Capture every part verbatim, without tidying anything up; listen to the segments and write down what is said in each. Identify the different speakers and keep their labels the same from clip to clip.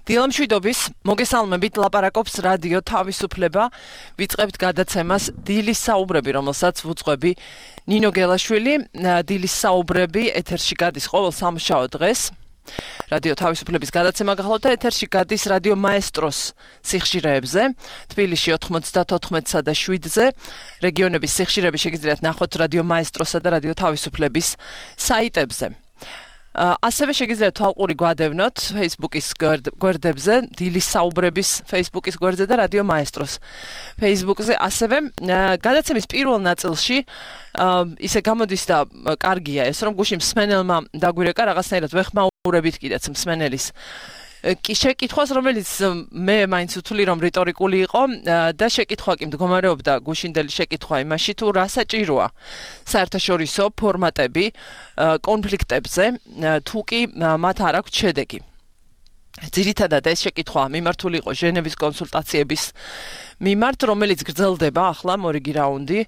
Speaker 1: დილამშვიდობის, მოგესალმებით, ლაპარაკობს რადიო თავისუფლება. ვიწყებთ გადაცემას დილის საუბრები, რომელსაც ვუძღვები ნინო გელაშვილი. დილის საუბრები ეთერში გადის ყოველ სამშაბათ დღეს. რადიო თავისუფლების გადაცემა გახლავთ და ეთერში გადის რადიო მაესტროს სიხშირეებზე. თბილისში ოთხმოცდაოთხსა და შვიდზე. რეგიონების სიხშირეები შეგიძლიათ ნახოთ რადიო მაესტროსა და რადიო თავისუფლების საიტებზე. ასევე შეგიძლიათ თვალყური გვადევნოთ Facebook-ის გვერდებზე, დილის საუბრების Facebook-ის გვერდზე და რადიო მაესტროს Facebook-ზე. ასევე გადაცემის პირველ ნაწილში ისე გამოდის და კარგია ეს, რომ გუშინ მსმენელმა დაგვირეკა რაღაცნაირად ვეხმაურებით კიდეც მსმენელის კი შეკითხვას, რომელიც მე მაინც ვთვლი, რომ რიტორიკული იყო და შეკითხვა კი მდგომარეობდა გუშინდელი შეკითხვა იმაში, თუ რა საჭიროა საერთაშორისო ფორმატები კონფლიქტებზე, თუ კი მათ არ აქვს შედეგი. ძირითადად ეს შეკითხვა მიმართული იყო ჟენევის კონსულტაციების მიმართ, რომელიც გრძელდება ახლა მორიგი რაუნდი.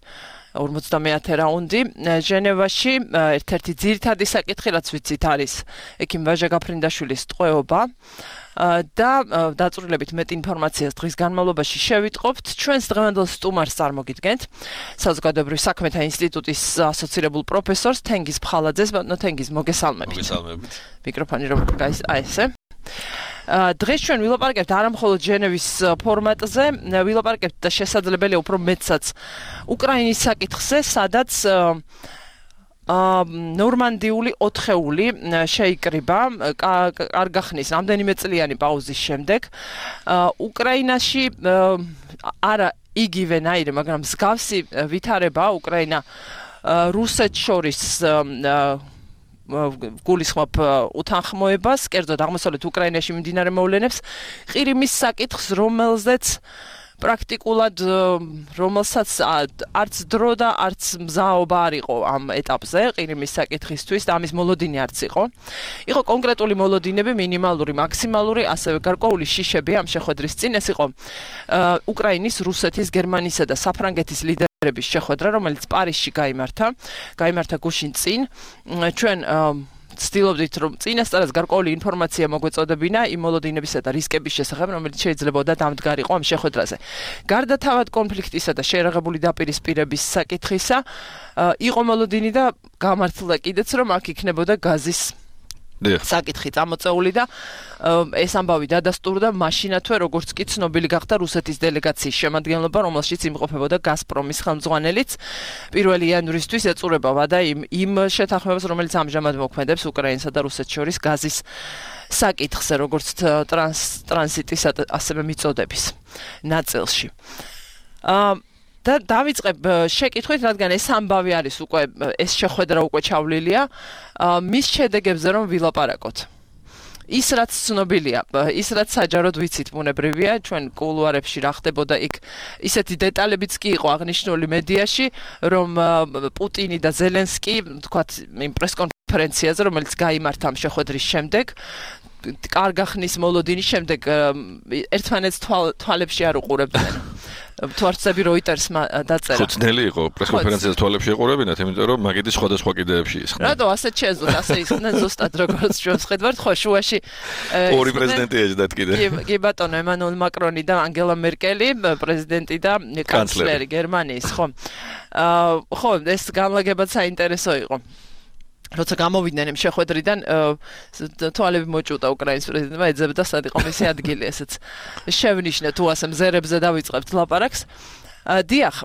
Speaker 1: ორმოცდამეათე რაუნდი ჟენევაში. ერთ-ერთი ძირითადი საკითხი, რაც ვიცით, არის ექიმ ვაჟა გაფრინდაშვილის ტყვეობა და დაწვრილებით მეტ ინფორმაციას დღის განმავლობაში შევიტყობთ. ჩვენს დღევანდელ სტუმარს წარმოგიდგენთ საზოგადოებრივ საქმეთა ინსტიტუტის ასოცირებულ პროფესორს თენგიზ ფხალაძეს. ბატონო თენგიზ, მოგესალმებით.
Speaker 2: მოგესალმებით.
Speaker 1: მიკროფონი რომ გაის აი ესე. დღეს ჩვენ ვილაპარაკებთ არა მხოლოდ ჟენევის ფორმატზე, ვილაპარაკებთ და შესაძლებელია უფრო მეტსაც უკრაინის საკითხზე, სადაც ნორმანდიული ოთხეული შეიკრიბა კარგახნის რამდენიმე წლიანი პაუზის შემდეგ. უკრაინაში არა იგივენაირი, მაგრამ მსგავსი ვითარება უკრაინა რუსეთს შორის გულისხმობ უთანხმოებას, კერძოდ აღმოსავლეთ უკრაინაში მიმდინარე მოვლენებს, ყირიმის საკითხს, რომელზეც პრაქტიკულად რომელსაც არც დრო და არც მზაობა არ იყო ამ ეტაპზე ყირიმის საკითხისთვის და ამის მოლოდინი არც იყო. იყო კონკრეტული მოლოდინები, მინიმალური, მაქსიმალური, ასევე გარკვეული შიშები ამ შეხვედრის წინ. ეს იყო უკრაინის, რუსეთის, გერმანიისა და საფრანგეთის ლიდერების შეხვედრა, რომელიც პარიზში გაიმართა. გაიმართა გუშინ წინ. ჩვენ ვცდილობდით, რომ წინასწარაც გარკვეული ინფორმაცია მოგვეწოდებინა იმ მოლოდინებისა და რისკების შესახებ, რომელიც შეიძლებოდა დამდგარიყო ამ შეხვედრაზე. გარდა თავად კონფლიქტისა და შეერაღებული დაპირისპირების საკითხისა, იყო მოლოდინი და გამართლა კიდეც, რომ აქ იქნებოდა გაზის საკითხი წამოწეული და ეს ამბავი დადასტურდა მაშინათვე, როგორც კი ცნობილი გახდა რუსეთის დელეგაციის შემადგენლობა, რომელშიც იმყოფებოდა გაზპრომის ხელმძღვანელიც. პირველი იანვრისთვის ეწურება ვადა იმ იმ შეთანხმებას, რომელიც ამჟამად მოქმედებს უკრაინსა და რუსეთს შორის გაზის საკითხზე, როგორც ტრანს ტრანზიტის ასევე მიწოდების ნაწილში. და დავიწყებ შეკითხვით, რადგან ეს ამბავი არის უკვე ეს შეხვედრა უკვე ჩავლილია, მის შედეგებზე რომ ვილაპარაკოთ. ის რაც ცნობილია, ის რაც საჯაროდ ვიცით, ბუნებრივია, ჩვენ კულუარებში რა ხდებოდა იქ, ისეთი დეტალებიც კი იყო აღნიშნული მედიაში, რომ პუტინი და ზელენსკი, თქვათ, იმ პრესკონფერენციაზე, რომელიც გაიმართა ამ შეხვედრის შემდეგ, კარგახნის მოლოდინის შემდეგ ერთმანეთს თვალებში არ უყურებდნენ. თვარცები როიტერსმა დაწერა.
Speaker 2: ხუთნელი იყო პრესკონფერენციაზე თვალებში ეყურებინათ, იმიტომ რომ მაგიდის სხვადასხვა კიდეებში ისხდნენ.
Speaker 1: რატო ასეთ შეძლოთ, ასე ისხდნენ ზუსტად როგორც ჩვენ ხედავთ, ხო შუაში
Speaker 2: ორი პრეზიდენტი ეჯდათ კიდე.
Speaker 1: კი ბატონო, ემანუელ მაკრონი და ანგელა მერკელი, პრეზიდენტი და კანცლერი გერმანიის, ხო. ხო, ეს განლაგებაც საინტერესო იყო. როცა გამოვიდნენ იმ შეხვედრიდან, თვალები მოჭუტა უკრაინის პრეზიდენტმა, ეძებდა სად იყო მისი ადგილი, ესეც შევნიშნე, თუ ასე მზერებზე დავიწყებთ ლაპარაკს. დიახ,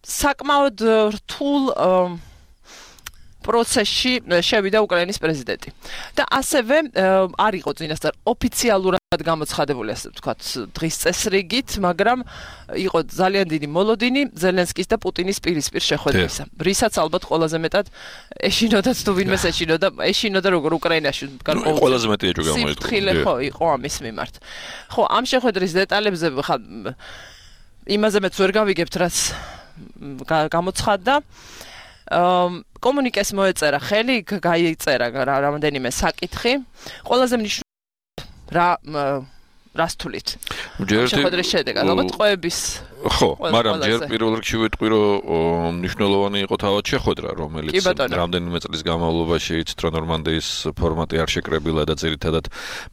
Speaker 1: საკმაოდ რთულ პროცესში შევიდა უკრაინის პრეზიდენტი. და ასევე არ იყო წინასწარ ოფიციალურად გამოცხადებული, ასე ვთქვათ, დღის წესრიგით, მაგრამ იყო ძალიან დიდი მოლოდინი ზელენსკის და პუტინის პირისპირ შეხვედრისა. რისაც ალბათ ყველაზე მეტად ეშინოდათ თუ ვინმეს ეშინოდა, ეშინოდა როგორ უკრაინაში გარკვეული
Speaker 2: ყველაზე მეტი ეჭვი გამოიწვია.
Speaker 1: სიფრთხილე ხო იყო ამის მიმართ. ხო, ამ შეხვედრის დეტალებზე ხა იმაზე მეც ვერ გავიგებთ, რაც გამოცხადდა. კომუნიკეს მოეწერა ხელი, გაიწერა რამდენიმე საკითხი. ყველაზე მნიშვნელოვანი რა რას თulit? შეხვედრის შედეგად, ალბათ ყოების
Speaker 2: ხო, მაგრამ ჯერ პირველ რიგში ვიტყვი, რომ მნიშვნელოვანი იყო თავად შეხვედრა, რომელიც რამდენიმე წლის განმავლობაში იცით, რომ ნორმანდიის ფორმატი არ შეკრებილა და ძირითადად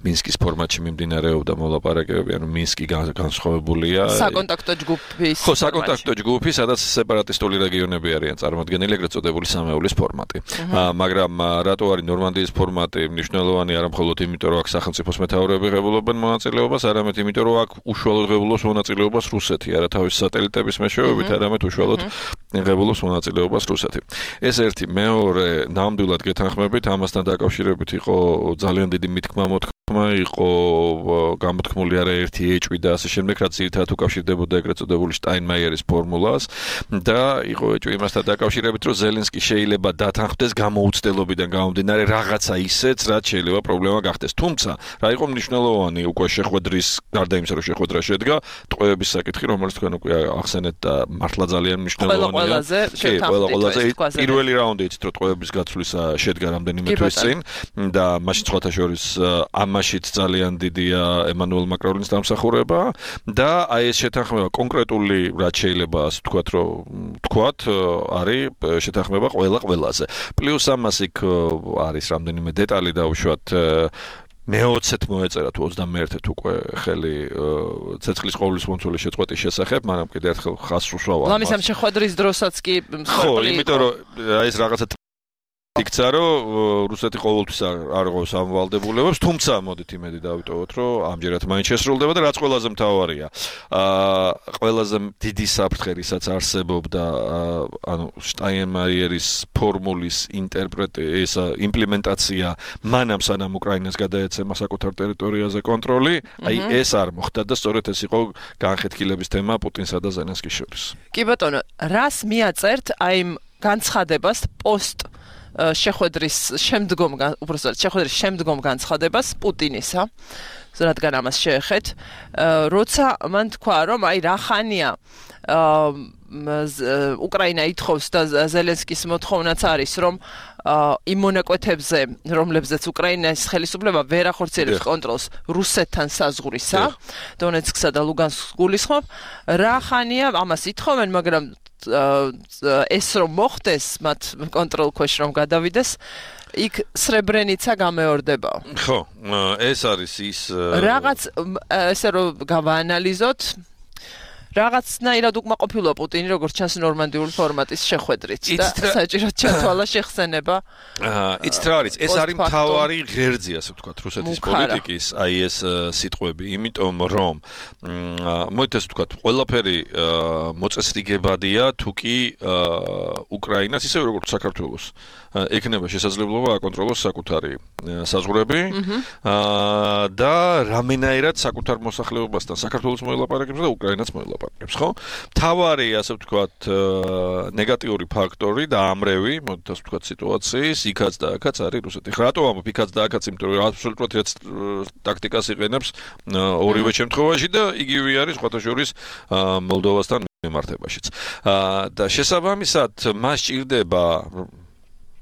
Speaker 2: მინსკის ფორმატში მიმდინარეობდა მოლაპარაკებები, ანუ მინსკი განსხვავებულია.
Speaker 1: საკონტაქტო ჯგუფის.
Speaker 2: ხო, საკონტაქტო ჯგუფი, სადაც სეპარატისტული რეგიონები არიან წარმოადგენილი, ეგრეთ წოდებული სამეულის ფორმატი. მაგრამ რატო არის ნორმანდიის ფორმატი მნიშვნელოვანი არა მხოლოდ იმიტომ, რომ აქ სახელმწიფოს მეთაურები ღებულობენ მონაწილეობას, არამედ იმიტომ, რომ აქ უშუალოდ ღებულობს მონაწილეობას რუსეთი, არა თავის სატელიტების მეშვეობით, არამედ უშუალოდ ღებულობს მონაწილეობას რუსეთი. ეს ერთი, მეორე, ნამდვილად გეთანხმებით, ამასთან დაკავშირებით იყო ძალიან დიდი მithkma მოთქმა, იყო გამოთქმული არაერთი ეჭვი და ასე შემდეგ, რაც ძირითადად უკავშირდებოდა ეგრეთ წოდებული შტაინმაიერის ფორმულას და იყო ეჭვი იმასთან დაკავშირებით, რომ ზელენსკი შეიძლება დათანხმდეს გამოუცდელობიდან გამომდინარე რაღაცა ისეც, რაც შეიძლება პრობლემა გახდეს. თუმცა, რა იყო მნიშვნელოვანი უკვე შეხვედრის, გარდა იმისა, რომ შეხვედრა შედგა, ტყვეების საკითხი, რომელიც თქვენ უკვე ახსენეთ და მართლა ძალიან მნიშვნელოვანია.
Speaker 1: ყველაზე
Speaker 2: ყველაზე პირველი რაუნდი იცით, რომ ტყვეების გაცვლისა შედგა რამდენიმე თვის წინ და მაშინ სხვათა შორის ამაშიც ძალიან დიდია ემანუელ მაკრონის დამსახურება და აი ეს შეთანხმება კონკრეტული რაც შეიძლება ასე ვთქვათ, რომ ვთქვათ, არის შეთანხმება ყველა ყველაზე. პლუს ამას იქ არის რამდენიმე დეტალი დაუშვათ მეოცეთ მოეწერა თუ ოცდამეერთეთ უკვე ხელი ცეცხლის ყოვლის მომცველი შეწყვეტის შესახებ, მაგრამ კიდევ ერთხელ ხაზს უსვამავ.
Speaker 1: ლამის ამ შეხვედრის დროსაც კი
Speaker 2: ხო, იმიტომ რომ აი ეს რაღაცა იქცა, რომ რუსეთი ყოველთვის არ იღებს ამ ვალდებულებებს, თუმცა მოდით იმედი დავიტოვოთ, რომ ამჯერად მაინც შესრულდება და რაც ყველაზე მთავარია. აა ყველაზე დიდი საფრთხე, რისაც არსებობდა, ანუ შტაინმაიერის ფორმულის ინტერპრეტაცია, იმპლემენტაცია მანამ სანამ უკრაინას გადაეცემა საკუთარ ტერიტორიაზე კონტროლი, აი ეს არ მოხდა და სწორედ ეს იყო განხეთქილების თემა პუტინსა და ზელენსკის შორის.
Speaker 1: კი ბატონო, რას მიაწერთ აი იმ განცხადებას პოსტ შეხვედრის შემდგომ, უბრალოდ შეხვედრის შემდგომ განცხადებას პუტინისა, რადგან ამას შეეხეთ, როცა მან თქვა, რომ აი რა ხანია უკრაინა ითხოვს და ზელენსკის მოთხოვნაც არის, რომ იმ მონაკვეთებზე, რომლებზეც უკრაინის ხელისუფლება ვერ ახორციელებს კონტროლს რუსეთთან საზღვრისა, დონეცკსა და ლუგანსკს გულისხმობ, რა ხანია ამას ითხოვენ, მაგრამ ეს რომ მოხდეს, მათ კონტროლ ქვეშ რომ გადავიდეს, იქ სრებრენიცა გამეორდება.
Speaker 2: ხო, ეს არის ის
Speaker 1: რაღაც ესე რომ გავაანალიზოთ, რაღაცნაირად უკმაყოფილოა პუტინი, როგორც ჩანს ნორმანდიული ფორმატის შეხვედრით და საჭიროდ ჩათვალა შეხსენება.
Speaker 2: იცით რა არის, ეს არის მთავარი ღერძი, ასე ვთქვათ, რუსეთის პოლიტიკის, აი ეს სიტყვები, იმიტომ რომ მოიეთ ასე ვთქვათ, ყველაფერი მოწესრიგებადია, თუ კი უკრაინას, ისევე როგორც საქართველოს ექნება შესაძლებლობა აკონტროლოს საკუთარი საზღვრები და რამენაირად საკუთარ მოსახლეობასთან საქართველოს მოელაპარაკებს და უკრაინას მოელაპარაკებს, ხო? მთავარი, ასე ვთქვათ, ნეგატიური ფაქტორი და ამრევი, მოდით ასე ვთქვათ, სიტუაციის იქაც და აქაც არის რუსეთი. რატო ამბობ იქაც და აქაც, იმიტომ რომ აბსოლუტურად ერთ ტაქტიკას იყენებს ორივე შემთხვევაში და იგივე არის სხვათა შორის მოლდოვასთან მიმართებაშიც. და შესაბამისად, მას ჭირდება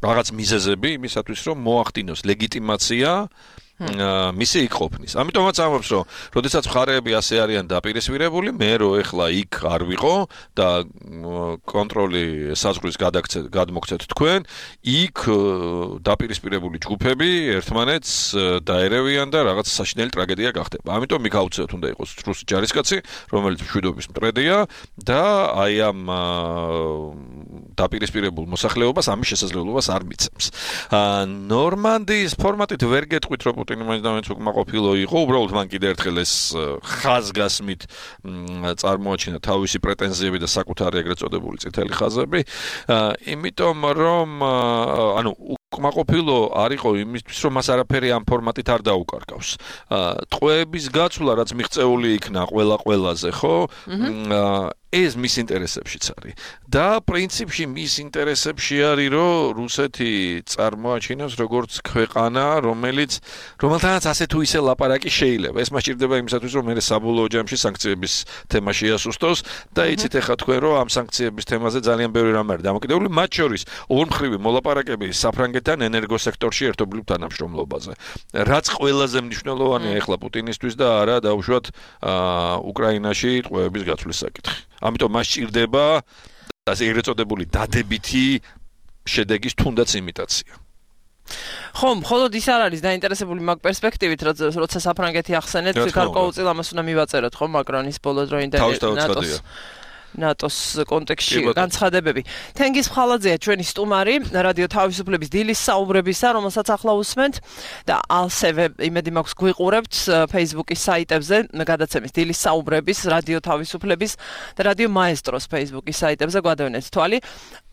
Speaker 2: რაღაც მიზეზები იმისათვის, რომ მოახდინოს ლეგიტიმაცია მისი იქ ყოფნის. ამიტომაც ამბობს, რომ როდესაც მხარეები ასე არიან დაპირისპირებული, მე რო ეხლა იქ არ ვიყო და კონტროლი საზღვრის გადმოგცეთ თქვენ, იქ დაპირისპირებული ჯგუფები ერთმანეთს დაერევიან და რაღაც საშინელი ტრაგედია გახდება. ამიტომ იქ აუცილებლად უნდა იყოს რუსი ჯარისკაცი, რომელიც მშვიდობის მტრედია და აი ამ დაპირისპირებულ მოსახლეობას ამის შესაძლებლობას არ მიცემს. ნორმანდიის ფორმატით ვერ გეტყვით, რომ პუტინი მაინც და მაინც უკმაყოფილო იყო, უბრალოდ მან კიდევ ერთხელ ეს ხაზგასმით წარმოაჩინა თავისი პრეტენზიები და საკუთარი ეგრეთ წოდებული წითელი ხაზები, იმიტომ რომ ანუ უკმაყოფილო არ იყო იმისთვის, რომ მას არაფერი ამ ფორმატით არ დაუკარგავს. ტყვეების გაცვლა, რაც მიღწეული იქნა ყველა ყველაზე, ხო? ეს მის ინტერესებშიც არის. და პრინციპში მის ინტერესებში არის, რომ რუსეთი წარმოაჩინოს როგორც ქვეყანა, რომელიც რომელთანაც ასე თუ ისე ლაპარაკი შეიძლება. ეს მას ჭირდება იმისათვის, რომ მე საბოლოო ჯამში სანქციების თემა შეასუსტოს და იცით ახლა თქვენ, რომ ამ სანქციების თემაზე ძალიან ბევრი რამ არის დამოკიდებული, მათ შორის ორმხრივი მოლაპარაკები საფრანგეთის რუსეთთან ენერგოსექტორში ერთობლივ თანამშრომლობაზე. რაც ყველაზე მნიშვნელოვანია ეხლა პუტინისთვის და არა დაუშვათ უკრაინაში ტყვეების გაცვლის საკითხი. ამიტომ მას სჭირდება ასე ეგრეთ წოდებული დადებითი შედეგის თუნდაც იმიტაცია.
Speaker 1: ხომ, მხოლოდ ის არ არის დაინტერესებული მაგ პერსპექტივით, როცა საფრანგეთი ახსენეთ, გარკვეულწილ ამას უნდა მივაწეროთ, ხო, მაკრონის ბოლო დროინდელი ნატოს ნატოს კონტექსტში განცხადებები. თენგიზ ხალაძეა ჩვენი სტუმარი რადიო თავისუფლების დილის საუბრებისა, რომელსაც ახლა უსმენთ და ასევე იმედი მაქვს გვიყურებთ Facebook-ის საიტებზე გადაცემის დილის საუბრების, რადიო თავისუფლების და რადიო მაესტროს Facebook-ის საიტებზე გვადევნეთ თვალი.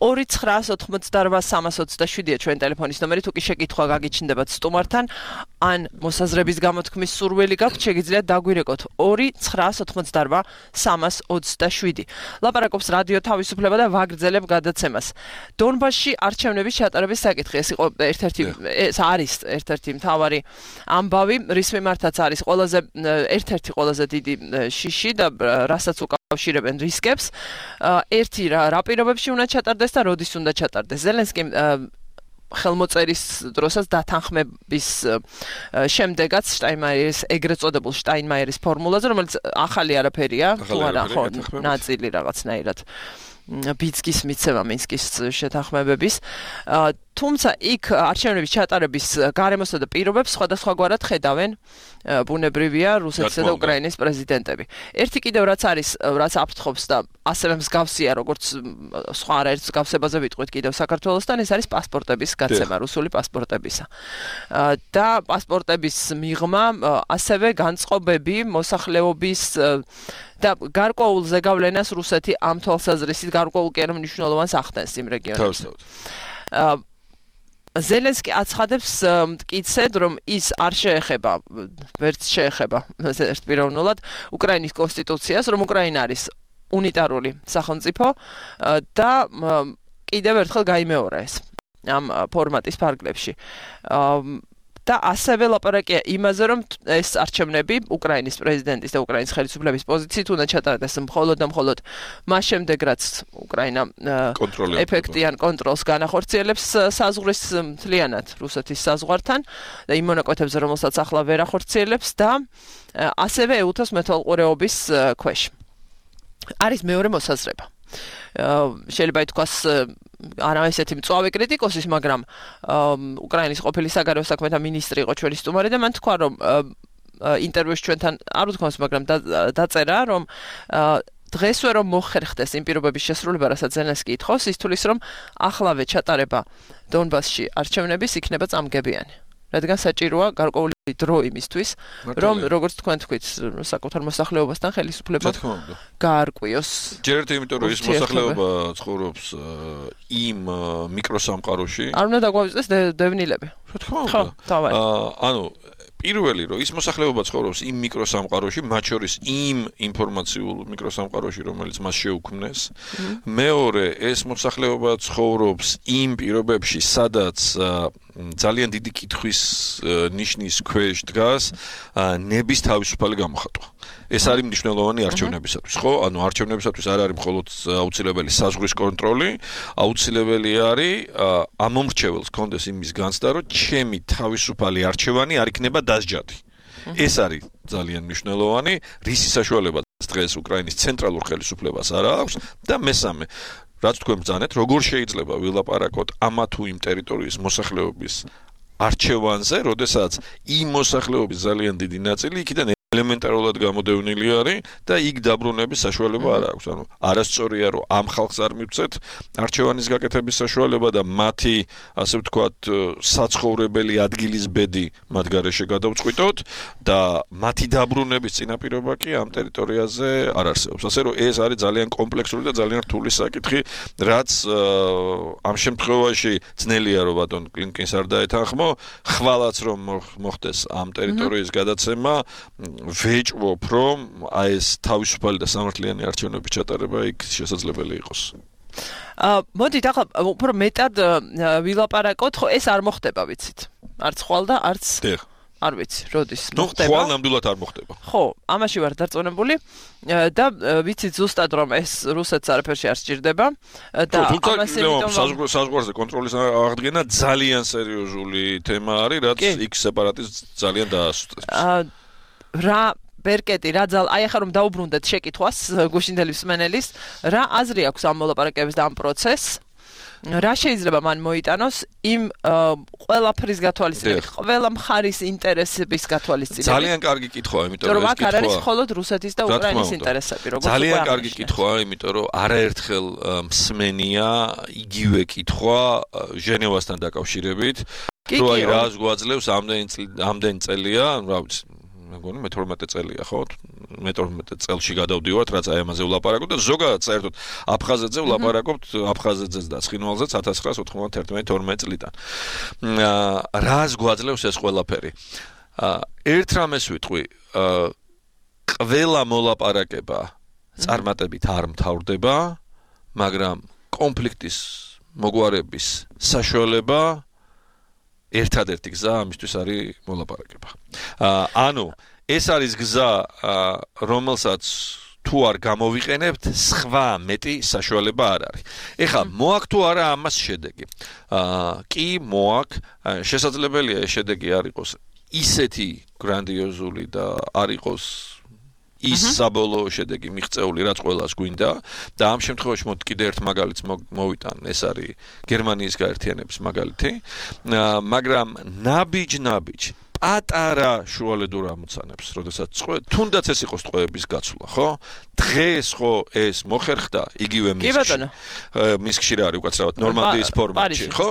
Speaker 1: ორი ცხრა ოთხმოცდაორბა სამას ოცდაშვიდია ჩვენი ტელეფონის ნომერი, თუ კი შეკითხვა გაგიჩნდებათ სტუმართან, ან მოსაზრების გამოთქმის სურვილი გაქვთ, შეგიძლიათ დაგვირეკოთ ორი ცხრა ოთხმოცდაორბა სამას ოცდაშვიდი. ლაპარაკობს რადიო თავისუფლება და ვაგრძელებ გადაცემას. დონბასში არჩევნების ჩატარების საკითხი ეს იყო ერთ-ერთი ეს არის ერთ-ერთი მთავარი ამბავი, რის მიმართაც არის ყველაზე ერთ-ერთი ყველაზე დიდი შიში და რასაც უკავშირებენ რისკებს. ერთი რა პირობებში უნდა ჩატარდეს და როდის უნდა ჩატარდეს. ზელენსკი ხელმოწერის დროსაც დათანხმების შემდეგაც შტაინმაიერის ეგრეთ წოდებულ შტაინმაიერის ფორმულაზე, რომელიც ახალი არაფერია, თუ არა ხო, ნაწილი რაღაცნაირად ბიცკის მიცემა მინსკის შეთანხმებების. თუმცა იქ არჩევნების ჩატარების გარემოსა და პირობებს სხვადასხვაგვარად ხედავენ ბუნებრივია რუსეთისა და უკრაინის პრეზიდენტები. ერთი კიდევ რაც არის, რაც აფრთხობს და ასევე მსგავსია, როგორც სხვა არაერთ მსგავსებაზე ვიტყვით კიდევ საქართველოსთან, ეს არის პასპორტების გაცემა, რუსული პასპორტებისა. და პასპორტების მიღმა, ასევე განწყობები მოსახლეობის და გარკვეულ ზეგავლენას რუსეთი ამ თვალსაზრისით გარკვეულ კი არა მნიშვნელოვანს ახდენს იმ რეგიონებში. ზელენსკი აცხადებს მტკიცედ, რომ ის არ შეეხება, ვერც შეეხება ერთპიროვნულად უკრაინის კონსტიტუციას, რომ უკრაინა არის უნიტარული სახელმწიფო და კიდევ ერთხელ გაიმეორა ეს ამ ფორმატის ფარგლებში. და ასევე ლაპარაკია იმაზე, რომ ეს არჩევნები უკრაინის პრეზიდენტის და უკრაინის ხელისუფლების პოზიციით უნდა ჩატარდეს მხოლოდ და მხოლოდ მას შემდეგ, რაც უკრაინა ეფექტიან კონტროლს განახორციელებს საზღვრის მთლიანად რუსეთის საზღვართან და იმ მონაკვეთებზე, რომელსაც ახლა ვერ ახორციელებს და ასევე ეუთოს მეთვალყურეობის ქვეშ. არის მეორე მოსაზრება. შეიძლება ითქვას არა ესეთი მწვავე კრიტიკოსის, მაგრამ უკრაინის ყოფილი საგარეო საქმეთა მინისტრი იყო ჩვენი სტუმარი და მან თქვა, რომ ინტერვიუში ჩვენთან არ უთქვამს, მაგრამ დაწერა, რომ დღესვე რომ მოხერხდეს იმ პირობების შესრულება, რასაც ზელენსკი ითხოვს, ის თulis რომ ახლავე ჩატარება დონბასში არჩევნების იქნება წამგებიანი. რადგან საჭიროა გარკვეული დრო იმისთვის, რომ როგორც თქვენ თქვით, საკუთარ მოსახლეობასთან ხელისუფლება გაარკვიოს.
Speaker 2: ჯერ ერთი იმიტომ, რომ ის მოსახლეობა ცხოვრობს იმ მიკროსამყაროში.
Speaker 1: არ უნდა დაგვავიწყდეს დევნილები.
Speaker 2: რა თქმა უნდა. ანუ პირველი რომ ის მოსახლეობა ცხოვრობს იმ მიკროსამყაროში, მათ შორის იმ ინფორმაციულ მიკროსამყაროში, რომელიც მას შეუქმნეს. მეორე, ეს მოსახლეობა ცხოვრობს იმ პირობებში, სადაც ძალიან დიდი კითხვის ნიშნის ქვეშ დგას ნების თავისუფალი გამოხატვა. ეს არის მნიშვნელოვანი არჩევნებისათვის, ხო? ანუ არჩევნებისათვის არ არის მხოლოდ აუცილებელი საზღვრის კონტროლი, აუცილებელი არის ამომრჩეველს კონდეს იმის განცდა, რომ ჩემი თავისუფალი არჩევანი არ იქნება დასჯადი. ეს არის ძალიან მნიშვნელოვანი, რისი საშუალება დღეს უკრაინის ცენტრალურ ხელისუფლებას არ აქვს და მესამე რაც თქვენ ბრძანეთ, როგორ შეიძლება ვილაპარაკოთ ამა თუ იმ ტერიტორიის მოსახლეობის არჩევანზე, როდესაც იმ მოსახლეობის ძალიან დიდი ნაწილი იქიდან ელემენტარულად გამოდევნილი არის და იქ დაბრუნების საშუალება არ აქვს. ანუ არასწორია, რომ ამ ხალხს არ მივცეთ არჩევანის გაკეთების საშუალება და მათი, ასე ვთქვათ, საცხოვრებელი ადგილის ბედი მათ გარეშე გადავწყვიტოთ და მათი დაბრუნების წინაპირობა კი ამ ტერიტორიაზე არ არსებობს. ასე რომ ეს არის ძალიან კომპლექსური და ძალიან რთული საკითხი, რაც ამ შემთხვევაში ძნელია, რომ ბატონ კლინკინს არ დაეთანხმო, ხვალაც რომ მოხდეს ამ ტერიტორიის გადაცემა ვეჭვობ, რომ აი ეს თავისუფალი და სამართლიანი არჩევნების ჩატარება იქ შესაძლებელი იყოს.
Speaker 1: აა მოდით ახლა უფრო მეტად ვილაპარაკოთ, ხო ეს არ მოხდება, ვიცით. არც ხვალ და არც არ ვიცი, როდის
Speaker 2: მოხდება. ნუ ხვალ ნამდვილად არ მოხდება.
Speaker 1: ხო, ამაში ვარ დარწმუნებული და ვიცით ზუსტად რომ ეს რუსეთს არაფერში არ სჭირდება და
Speaker 2: ამას იმიტომ საზღვარზე კონტროლის აღდგენა ძალიან სერიოზული თემა არის, რაც იქ სეპარატიზმს ძალიან დაასუსტებს.
Speaker 1: რა ბერკეტი რა ძალ აი ახლა რომ დაუბრუნდეთ შეკითხვას გუშინდელი მსმენელის რა აზრი აქვს ამ მოლაპარაკებების და ამ პროცესს რა შეიძლება მან მოიტანოს იმ ყველაფრის გათვალისწინებით, ყველა მხარის ინტერესების გათვალისწინებით.
Speaker 2: ძალიან კარგი კითხვაა, იმიტომ რომ ეს
Speaker 1: კითხვა არ არის მხოლოდ რუსეთის და უკრაინის ინტერესები, როგორც
Speaker 2: ძალიან კარგი კითხვაა, იმიტომ რომ არაერთხელ მსმენია იგივე კითხვა ჟენევასთან დაკავშირებით, რომ აი რას გვაძლევს ამდენი ამდენი წელია, რა ვიცი მეგონი მეთორმეტე წელია ხო? მეთორმეტე წელში გადავდივართ, რაც აი ამაზე ვლაპარაკობ და ზოგადად საერთოდ აფხაზეთზე ვლაპარაკობთ, აფხაზეთზეც და ცხინვალზეც ათას ცხრაასი ოცდაათი თორმეტ წლიდან. რას გვაძლევს ეს ყველაფერი? ერთ რამეს ვიტყვი, ყველა მოლაპარაკება წარმატებით არ მთავრდება, მაგრამ კონფლიქტის მოგვარების საშუალება ერთადერთი გზა ამისთვის არის მოლაპარაკება. ანუ ეს არის გზა, რომელსაც თუ არ გამოვიყენებთ, სხვა მეტი საშუალება არ არის. ეხლა მოაქვს თუ არა ამას შედეგი? კი, მოაქვს. შესაძლებელია ეს შედეგი არ იყოს ისეთი გრანდიოზული და არ იყოს ის საბოლოო შედეგი მიღწეული, რაც ყველას გვინდა და ამ შემთხვევაში მოდ კიდე ერთ მაგალითს მოვიტან, ეს არის გერმანიის გაერთიანების მაგალითი, მაგრამ ნაბიჯ-ნაბიჯ პატარა შუალედურ ამოცანებს, როდესაც წყვე, თუნდაც ეს იყოს ტყვეების გაცვლა, ხო? დღეს ხო ეს მოხერხდა იგივე მისკში. მისკში რა არის უკაცრავად ნორმანდიის ფორმატში, ხო?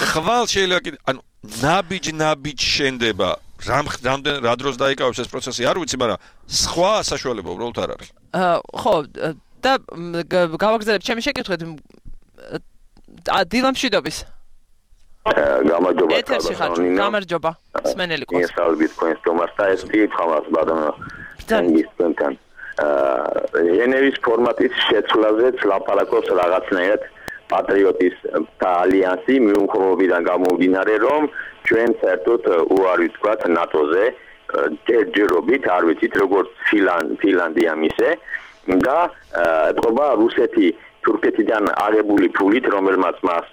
Speaker 2: ხვალ შეიძლება კიდე, ანუ ნაბიჯ-ნაბიჯ შენდება რამდენ რა დროს დაიკავებს ეს პროცესი არ ვიცი, მაგრამ სხვა საშუალება უბრალოდ არ არის.
Speaker 1: ხო, და გავაგზავნებ ჩემი შეკითხვით დილამშვიდობის.
Speaker 3: გამარჯობა.
Speaker 1: ეთერში ხარ, გამარჯობა. სმენელი ყავს.
Speaker 3: ესალბით თქვენს თომას და ეს კითხავს ბატონო. ძალიან. ჟენევის ფორმატის შეცვლაზეც ლაპარაკობს რაღაცნაირად პატრიოტის და ალიანსი მიუხედავად გამომდინარე რომ ჩვენ საერთოდ უარი ვთქვათ ნატოზე ჯერჯერობით არ ვიცით როგორც ფინლანდია მისე და ეთყობა რუსეთი თურქეთიდან აღებული ფულით რომელმაც მას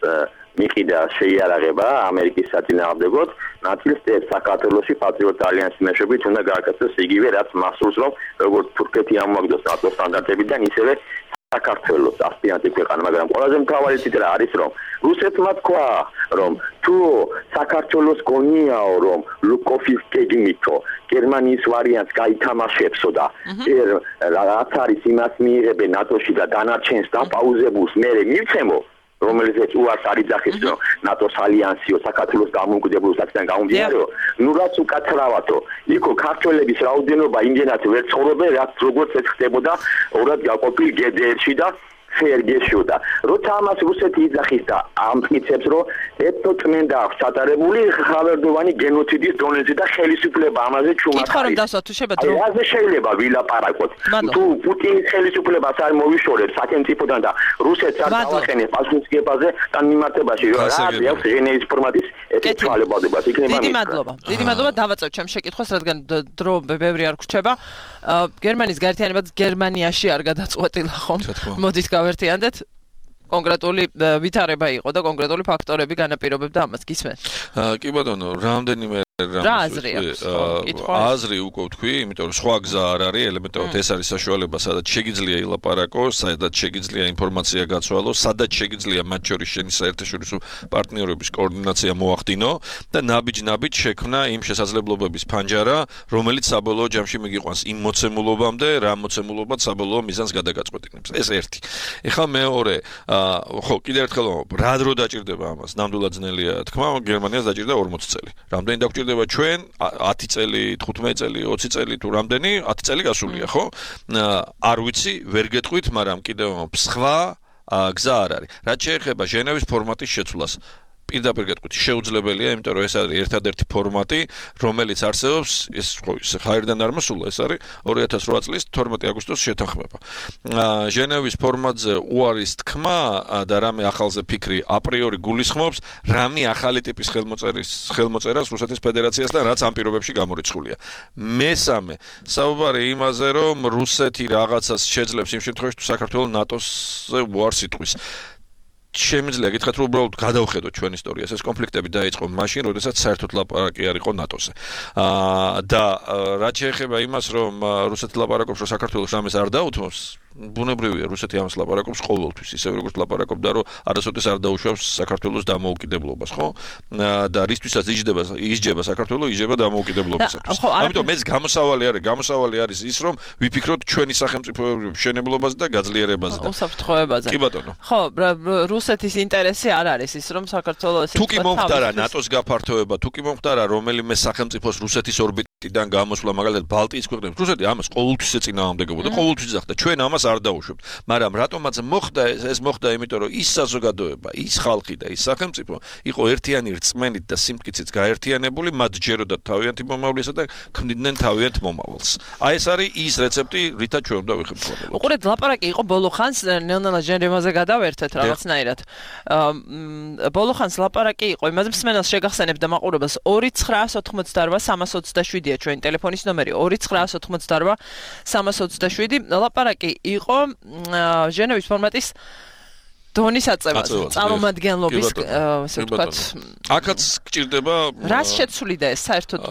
Speaker 3: მიყიდა შეიარაღება ამერიკის საწინააღმდეგოდ ნაწილს საქართველოში პატრიოტ ალიანსის მეშვეობით უნდა გააკეთოს იგივე რაც მასურს რომ როგორც თურქეთი ამოაგდოს ნატოს სტანდარტებიდან ისევე საქართველოს ასპირანტი ქვეყანა, მაგრამ ყველაზე მთავარი ციტირა არის რომ რუსეთმა თქვა რომ თუ საქართველოს გონიაო რომ ლუკოფის გეგმითო გერმანიის ვარიანტს გაითამაშებსო და რაც არის იმას მიიღებენ ნატოში და დანარჩენს დაპაუზებულს მერე მივცემო რომელზეც უარს არის ძახის რომ ნატოს ალიანსიო საქართველოს გამომკვიდრებულ საკიდან გამომდინარეო ნუ რაც უკაცრავათო იქო ქართველების რაოდენობა იმდენად ვერ ცხოვრობენ რაც როგორც ეს ხდებოდა ორად გაყოფილ გედერში და სერგეშო და როცა ამას რუსეთი იძახის და ამტკიცებს რომ ეთნოწმენდა აქვს ჩატარებული ხავერდოვანი გენოციდის დონეზე და ხელისუფლება ამაზე ჩუმად
Speaker 1: კითხვა რომ დასვა თუ შეება დრო
Speaker 3: ასე შეიძლება ვილაპარაკოთ თუ პუტინის ხელისუფლებას არ მოვიშორებს სახელმწიფოდან და რუსეთს არ დავახენებს პასუხისგებაზე და მიმართებაში რა აქვს ჟენევის ფორმატის ეს თვალებადებას იქნება
Speaker 1: დიდი მადლობა დიდი მადლობა დავაწევ ჩემ შეკითხვას რადგან დრო ბევრი არ გრჩება გერმანიის გაერთიანებაც გერმანიაში არ გადაწყვეტილა ხომ მოდით გავერთიანდეთ კონკრეტული ვითარება იყო და კონკრეტული ფაქტორები განაპირობებდა ამას გისმენთ
Speaker 2: კი ბატონო რამდენიმე
Speaker 1: რა აზრი აქვს
Speaker 2: აზრი უკვე ვთქვი იმიტომ რომ სხვა გზა არ არის ელემენტარულად ეს არის საშუალება სადაც შეგიძლია ილაპარაკოს სადაც შეგიძლია ინფორმაცია გაცვალოს სადაც შეგიძლია მათ შორის შენი საერთაშორისო პარტნიორების კოორდინაცია მოახდინო და ნაბიჯ-ნაბიჯ შექმნა იმ შესაძლებლობების ფანჯარა რომელიც საბოლოო ჯამში მიგიყვანს იმ მოცემულობამდე რა მოცემულობაც საბოლოო მიზანს გადაგაწყვეტინებს ეს ერთი ეხლა მეორე ხო კიდევ ერთხელ რა დრო დაჭირდება ამას ნამდვილად ძნელია თქმა გერმანიას დაჭირდა ორმოცი წელი რამდენი დაგვჭირდება ჩვენ ათი წელი თხუთმეტი წელი ოცი წელი თუ რამდენი ათი წელი გასულია ხო არ ვიცი ვერ გეტყვით მაგრამ კიდევ სხვა გზა არ არის რაც შეეხება ჟენევის ფორმატის შეცვლას პირდაპირ გეტყვით, შეუძლებელია, იმიტომ რომ ეს არის ერთადერთი ფორმატი, რომელიც არსებობს, ეს ხო ხაერიდან არ მოსულა, ეს არის ორი ათას ოთხ წლის თორმეტი აგვისტოს შეთანხმება. ჟენევის ფორმატზე უარის თქმა და რამე ახალზე ფიქრი აპრიორი გულისხმობს, რამე ახალი ტიპის ხელმოწერის ხელმოწერას რუსეთის ფედერაციასთან, რაც ამ პირობებში გამორიცხულია. მესამე, საუბარი იმაზე, რომ რუსეთი რაღაცას შეძლებს იმ შემთხვევაში, თუ საქართველოს ნატოსზე უარს იტყვის. შემიძლია გითხრათ, რომ უბრალოდ გადავხედოთ ჩვენ ისტორიას, ეს კონფლიქტები დაიწყო მაშინ, როდესაც საერთოდ ლაპარაკი არ იყო ნატოზე. აა და რაც შეეხება იმას, რომ რუსეთი ლაპარაკობს, რომ საქართველოს ამას არ დაუთმობს, ბუნებრივია, რუსეთი ამას ლაპარაკობს ყოველთვის, ისე როგორც ლაპარაკობდა, რომ არასოდეს არ დაუშვებს საქართველოს დამოუკიდებლობას, ხო? და რისთვისაც იჯდება, ისჯება საქართველოს, იჯება დამოუკიდებლობისათვის. ამიტომ ეს გამოსავალი არის, გამოსავალი არის ის, რომ ვიფიქროთ ჩვენი სახელმწიფოების მშენებლობაზე და გაძლიერებაზე და
Speaker 1: უსაფრთხოებაზე.
Speaker 2: კი ბატონო.
Speaker 1: ხო, რუსეთის ინტერესი არ არის ის, რომ საქართველოს
Speaker 2: თუ კი მომხდარა ნატოს გაფართოება, თუ კი მომხდარა რომელიმე სახელმწიფოს რუსეთის ორბიტიდან გამოსვლა, მაგალითად ბალტიის ქვეყნებს, რუსეთი ამას ყოველთვის ეწინააღმდეგებოდა, ყოველთვის იზახდა. ჩვენ ამას არ დაუშვებთ. მაგრამ რატომაც მოხდა ეს, ეს მოხდა იმიტომ, რომ ის საზოგადოება, ის ხალხი და ის სახელმწიფო იყო ერთიანი რწმენით და სიმტკიცით გაერთიანებული, მათ ჯეროდათ თავიანთი მომავლისა და ქმნიდნენ თავიანთ მომავალს. აი ეს არის ის რეცეპტი, რითაც ჩვენ უნდა ვიხმაროთ.
Speaker 1: უყურეთ, ლაპარაკი იყო ბოლო ხანს ნელ-ნელა ჟენევაზე გადავერთეთ რაღაცნაირად. ბოლო ხანს ლაპარაკი იყო იმაზე, მსმენელს შეგახსენებ და მაყურებელს ორი ცხრა ოთხმოცდაოთხ სამას ოცდაშვიდია ჩვენი ტელეფონის ნომერი ორი ცხრა ოთხმოცდაოთხ სამას ოცდაშვიდი. ლაპარაკი იყო ჟენევის ფორმატის დონის აწევაზე, წარმომადგენლობის, ასე ვთქვათ.
Speaker 2: აქაც გჭირდება
Speaker 1: რას შეცვლიდა ეს საერთოდ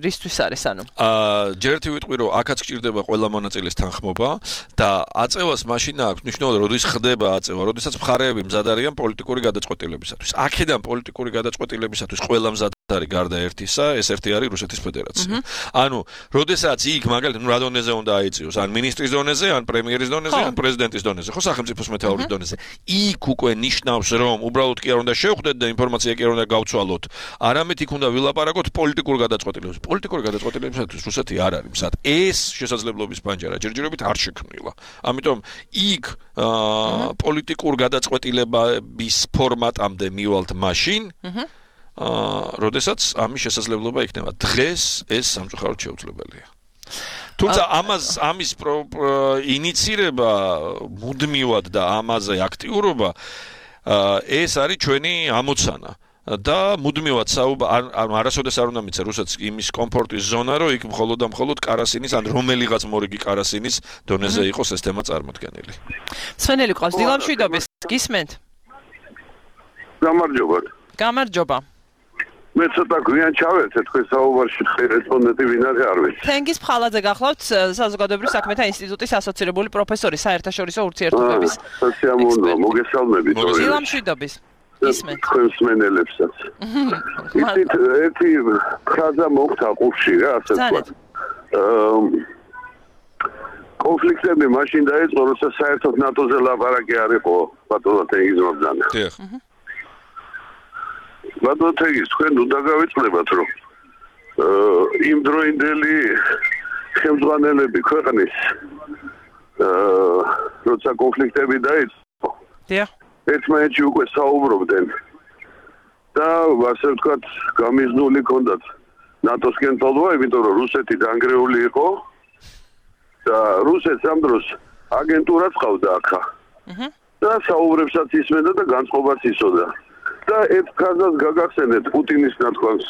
Speaker 1: რისთვის არის, ანუ?
Speaker 2: აა ჯერ ერთი ვიტყვი, რომ აქაც გჭირდება ყველა მონაწილის თანხმობა და აწევას მაშინ აქვს მნიშვნელობა, როდის ხდება აწევა, როდესაც მხარეები მზად არიან პოლიტიკური გადაწყვეტილებისათვის. აქედან პოლიტიკური გადაწყვეტილებისათვის ყველა მზად არის გარდა ერთისა, ეს ერთი არის რუსეთის ფედერაცია. ანუ, როდესაც იქ მაგალითად, ნუ რა დონეზე უნდა აიწიოს, ან მინისტრის დონეზე, ან პრემიერის დონეზე, ან პრეზიდენტის დონეზე, ხო, სახელმწიფოს მეთაურის დონეზე. იქ უკვე ნიშნავს, რომ უბრალოდ კი არ უნდა შევხვდეთ და ინფორმაცია კი არ უნდა გავცვალოთ. არამედ იქ უნდა ვილაპარაკოთ პოლიტიკურ გადაწყვეტილებებზე. პოლიტიკური გადაწყვეტილებისათვის რუსეთი არ არის მზად. ეს შესაძლებლობის პანჯარა ჯერჯერობით არ შექმნილა. ამიტომ იქ პოლიტიკურ გადაწყვეტილების ფორმატამდე მივალთ მაშინ, აა, როდესაც ამის შესაძლებლობა იქნება. დღეს ეს სამწუხაროდ შეუძლებელია. თუმცა ამას ამის ინიცირება მუდმივად და ამაზე აქტიურობა ეს არის ჩვენი ამოცანა და მუდმივად საუბარი არასოდეს არ უნდა მიცე რუსეთს იმის კომფორტის ზონა, რომ იქ მხოლოდ და მხოლოდ კარასინის ან რომელიღაც მორიგი კარასინის დონეზე იყოს ეს თემა წარმოქმნილი.
Speaker 1: სვენელი ყავს დილამშვიდობის, გისმენთ?
Speaker 4: გამარჯობა.
Speaker 1: გამარჯობა.
Speaker 4: მე ცოტა გვიან ჩავერთე თქვენ საუბარში რესპონდენტი ვინ არის არ ვიცი.
Speaker 1: თენგის ფხალაძე გახლავთ საზოგადოებრივ საქმეთა ინსტიტუტის ასოცირებული პროფესორი საერთაშორისო ურთიერთობების.
Speaker 4: სოციალურ მოგესალმებით.
Speaker 1: დილამშვიდობის. ისმენთ.
Speaker 4: თქვენ მსმენელებსაც. იცით ერთი ფრაზა მოხდა ყურში რა ასე ვთქვათ. კონფლიქტები მაშინ დაიწყო, როცა საერთოდ ნატოზე ლაპარაკი არ იყო ბატონო თენგის მოგზანა.
Speaker 2: დიახ.
Speaker 4: ბატონო თენგის თქვენ უნდა გავიწყდებათ რომ იმ დროინდელი ხელმძღვანელები ქვეყნის როცა კონფლიქტები დაიწყო.
Speaker 1: დიახ.
Speaker 4: ერთმანეთში უკვე საუბრობდნენ და ასე ვთქვათ გამიზნული ჰქონდათ ნატოსკენ თოლვა, იმიტომ რომ რუსეთი დანგრეული იყო და რუსეთს ამ დროს აგენტურაც ყავდა აქა. და საუბრებსაც ისმენდა და განწყობაც იცოდა. და ერთ ფრაზას გაგახსენეთ პუტინის ნათქვამს.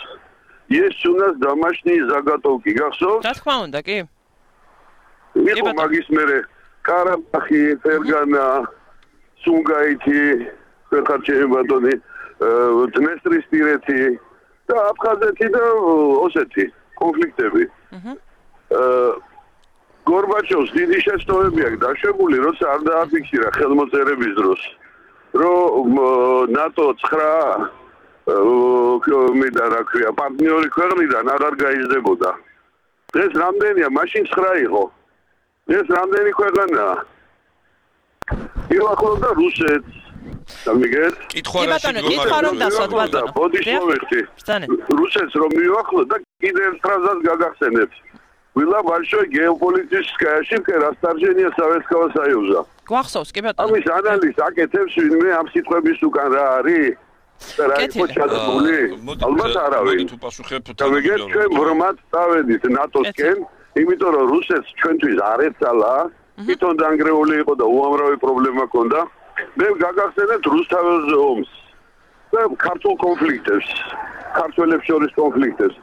Speaker 4: Есть у нас домашние заготовки. გახსოვთ?
Speaker 1: რა თქმა უნდა, კი.
Speaker 4: იყო მაგის მერე კარაბახი, ფერგანა, სუნგაითი, ხერხარჩენი ბატონი, დნესტრისპირეთი და აფხაზეთი და ოსეთი კონფლიქტები. აა გორბაჩოვს დიდი შეცდომები აქვს დაშვებული, როცა არ დააფიქსირა ხელმოწერების დროს, რომ ნატო ცხრა მე და რა ქვია, პარტნიორი ქვეყნიდან აღარ გაიზრდებოდა. ეს რამდენია? მაშინ ცხრა იყო. ეს რამდენი ქვეყანაა? იუახლოვდა რუსეთს. სამიგეთ?
Speaker 2: კითხვა
Speaker 1: რა კითხვა რომ დასვათ ბატონო.
Speaker 4: ბოდიშ მოვიხდი. რუსეთს რომ მიუახლოვდა და კიდევ ერთ ფრაზას გაგახსენეთ. Была большой геополитическая ошибка расторжения Советского Союза.
Speaker 1: გვახსოვს კი ბატონო.
Speaker 4: ამის ანალიზს აკეთებს ვინმე ამ სიტყვების უკან რა არის? და რა იყო ჩადებული? ალბათ არავინ.
Speaker 2: თუ პასუხებ
Speaker 4: და ვიგეთ ჩვენ ბრმად დავედით ნატოსკენ, იმიტომ რომ რუსეთს ჩვენთვის არ ეცალა, თვითონ დანგრეული იყო და უამრავი პრობლემა ჰქონდა. მე გაგახსენეთ რუსთაველზე ომს და ქართულ კონფლიქტებს, ქართველებს შორის კონფლიქტებს.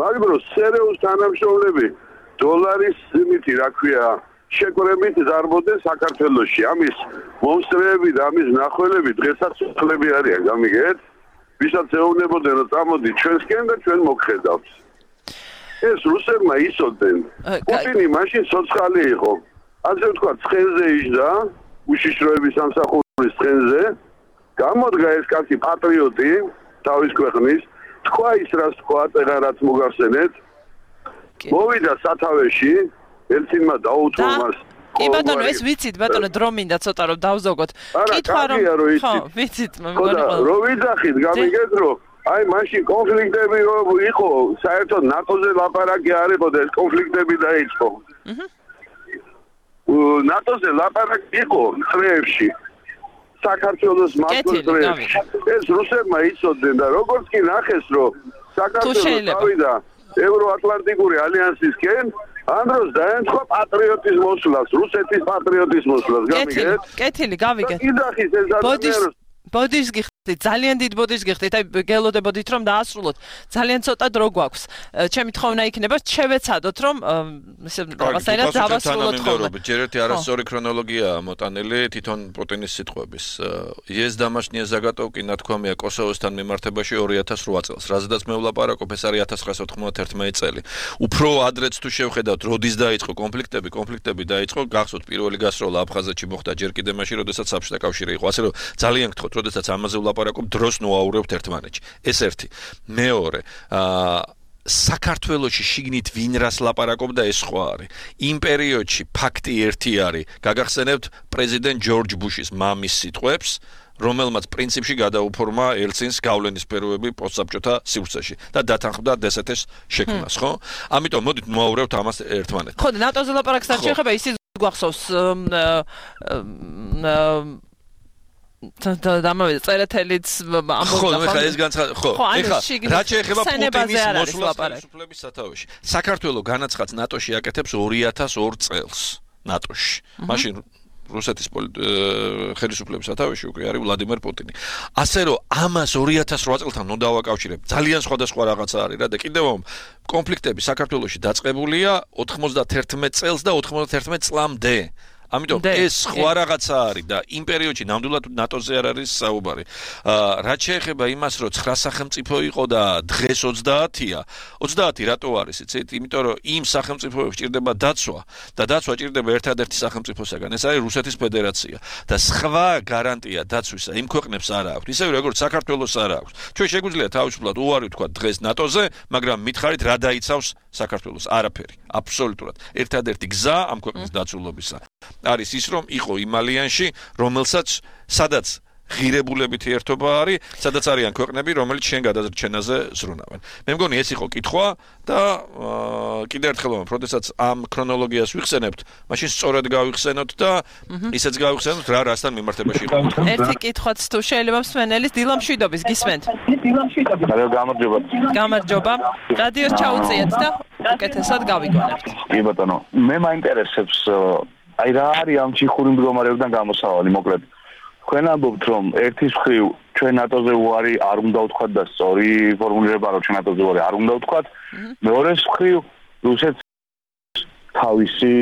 Speaker 4: მაგრამ სერიოზ თანამშრომლები დოლარის იმითი, რა ქვია, შეკრებით ზარბოდნენ საქართველოში. ამის მონსტრები და ამის ნახველები დღესაც უხლები არიან, გამიგეთ? ვისაც ეუბნებოდნენ რომ წამოდი ჩვენსკენ და ჩვენ მოგხედავთ. ეს რუსებმა იცოდნენ. პუტინი მაშინ სოციალი იყო. ასე ვთქვათ, ცხენზე იჯდა, უშიშროების სამსახურის ცხენზე. გამოდგა ეს კაცი პატრიოტი თავის ქვეყნის, თქვა ის რაც თქვა, წერა რაც მოგახსენეთ. მოვიდა სათავეში, ელცინმა დაუთმო მას.
Speaker 1: კი ბატონო, ეს ვიცით ბატონო, დრო მინდა ცოტა რომ დავზოგოთ.
Speaker 4: კითხვა რომ
Speaker 1: ხო, ვიცით,
Speaker 4: მეგონი ყველა. რო ვიძახით, გამიგეთ რომ აი მაშინ კონფლიქტები იყო, საერთოდ ნატოზე ლაპარაკი არ იყო და ეს კონფლიქტები დაიწყო. აჰა. ნატოზე ლაპარაკი იყო წრეებში. საქართველოს მასწავლებლებს წრეებში. ეს რუსებმა იცოდნენ და როგორც კი ნახეს რომ საქართველოს გავიდა ევროატლანტიკური ალიანსისკენ, ამ დროს დაემთხვა პატრიოტის მოსვლას, რუსეთის პატრიოტის მოსვლას, გამიგეთ?
Speaker 1: კეთილი, გავიგეთ.
Speaker 4: იძახის ეს ადამიანს
Speaker 1: ბოდიშს გიხდით, ძალიან დიდ ბოდიშს გიხდით, აი გელოდებოდით რომ დაასრულოთ. ძალიან ცოტა დრო გვაქვს. ჩემი თხოვნა იქნება, შევეცადოთ რომ ესე რაღაცაირად დავასრულოთ ხოლმე.
Speaker 2: ჯერ ერთი არასწორი ქრონოლოგიაა მოტანილი თვითონ პუტინის სიტყვების. ეს დამაშნია ზაგატოვკი ნათქვამია კოსოვოსთან მიმართებაში ორი ათას რვა წელს. რაზედაც მე ვლაპარაკობ, ეს არის ათას ცხრაასა ოთხმოცდაერთმეტი წელი. უფრო ადრეც თუ შევხედავთ, როდის დაიწყო კონფლიქტები, კონფლიქტები დაიწყო, გახსოვთ პირველი გასროლა აფხაზეთში მოხდა ჯერ კიდე მაშინ, როდესაც საბჭოთა კავშირი იყო. ასე რომ ძალიან გთხოვთ, როდესაც ამაზე ვლაპარაკობ, დროს ნუაურებთ ერთმანეთში. ეს ერთი. მეორე, აა საქართველოში შიგნით ვინ რას ლაპარაკობდა, ეს სხვა არის. იმ პერიოდში ფაქტი ერთი არის. გაგახსენებთ პრეზიდენტ ჯორჯ ბუშის მამის სიტყვებს, რომელმაც პრინციპში გადაუფორმა ელცინს გავლენის სფეროები პოსტსაბჭოთა სივრცეში და დათანხმდა დსთ-ს შექმნას, ხო? ამიტომ მოდით ნუაურებთ ამას ერთმანეთს.
Speaker 1: ხო, ნატოზე ლაპარაკს არ შეეხება, ისიც გვახსოვს და დამავიდა წერეთელიც ამბობდა
Speaker 2: ხო ეხლა ეს განცხადება ხო ეხლა რაც შეეხება პუტინის მოსვლას ხელისუფლების სათავეში საქართველოს განაცხადს ნატოში აკეთებს ორი ათას ორ წელს ნატოში მაშინ რუსეთის ხელისუფლების სათავეში უკვე არის ვლადიმერ პუტინი ასე რომ ამას ორი ათას რვა წელთან უნდა დავაკავშირებ ძალიან სხვადასხვა რაღაცა არის რა და კიდევ კონფლიქტები საქართველოში დაწყებულია ოთხმოცდაერთმეტი წელს და ოთხმოცდაერთმეტი წლამდე ამიტომ ეს სხვა რაღაცა არის და იმ პერიოდში ნამდვილად ნატოზე არ არის საუბარი. რაც შეეხება იმას, რომ ცხრა სახელმწიფო იყო და დღეს ოცდაათია, ოცდაათი რატო არის, იცით? იმიტომ რომ იმ სახელმწიფოებს ჭირდება დაცვა და დაცვა ჭირდება ერთადერთი სახელმწიფოსაგან, ეს არის რუსეთის ფედერაცია და სხვა გარანტია დაცვისა იმ ქვეყნებს არ აქვს. ისევე როგორც საქართველოს არ აქვს. ჩვენ შეგვიძლია თავისუფლად უარი ვთქვა დღეს ნატოზე, მაგრამ მითხარით რა დაიცავს საქართველოს? არაფერი, აბსოლუტურად. ერთადერთი გზა ამ ქვეყნის დაცულობისა არის ის რომ იყო იმ ალიანსში, რომელსაც სადაც ღირებულებითი ერთობა არის, სადაც არიან ქვეყნები, რომელიც შენ გადაზრჩენაზე ზრუნავენ. მე მგონი ეს იყო კითხვა და კიდევ ერთხელ ვამბობ, როდესაც ამ ქრონოლოგიას ვიხსენებთ, მაშინ სწორად გავიხსენოთ და ისეც გავიხსენოთ რა რასთან მიმართებაში იყო.
Speaker 1: ერთი კითხვაც თუ შეიძლება მსმენელის დილა მშვიდობის გისმენთ.
Speaker 5: რა გამარჯობა.
Speaker 1: გამარჯობა. რადიოს ჩაუწიეთ და უკეთესად გავიგონებთ.
Speaker 5: კი ბატონო, მე მაინტერესებს აი რა არის ამ ჩიხური მდგომარეობიდან გამოსავალი მოკლედ თქვენ ამბობთ რომ ერთის მხრივ ჩვენ ნატოზე უარი არ უნდა ვთქვათ და სწორი ფორმულირება რომ ჩვენ ნატოზე უარი არ უნდა ვთქვათ მეორეს მხრივ რუსეთს თავისი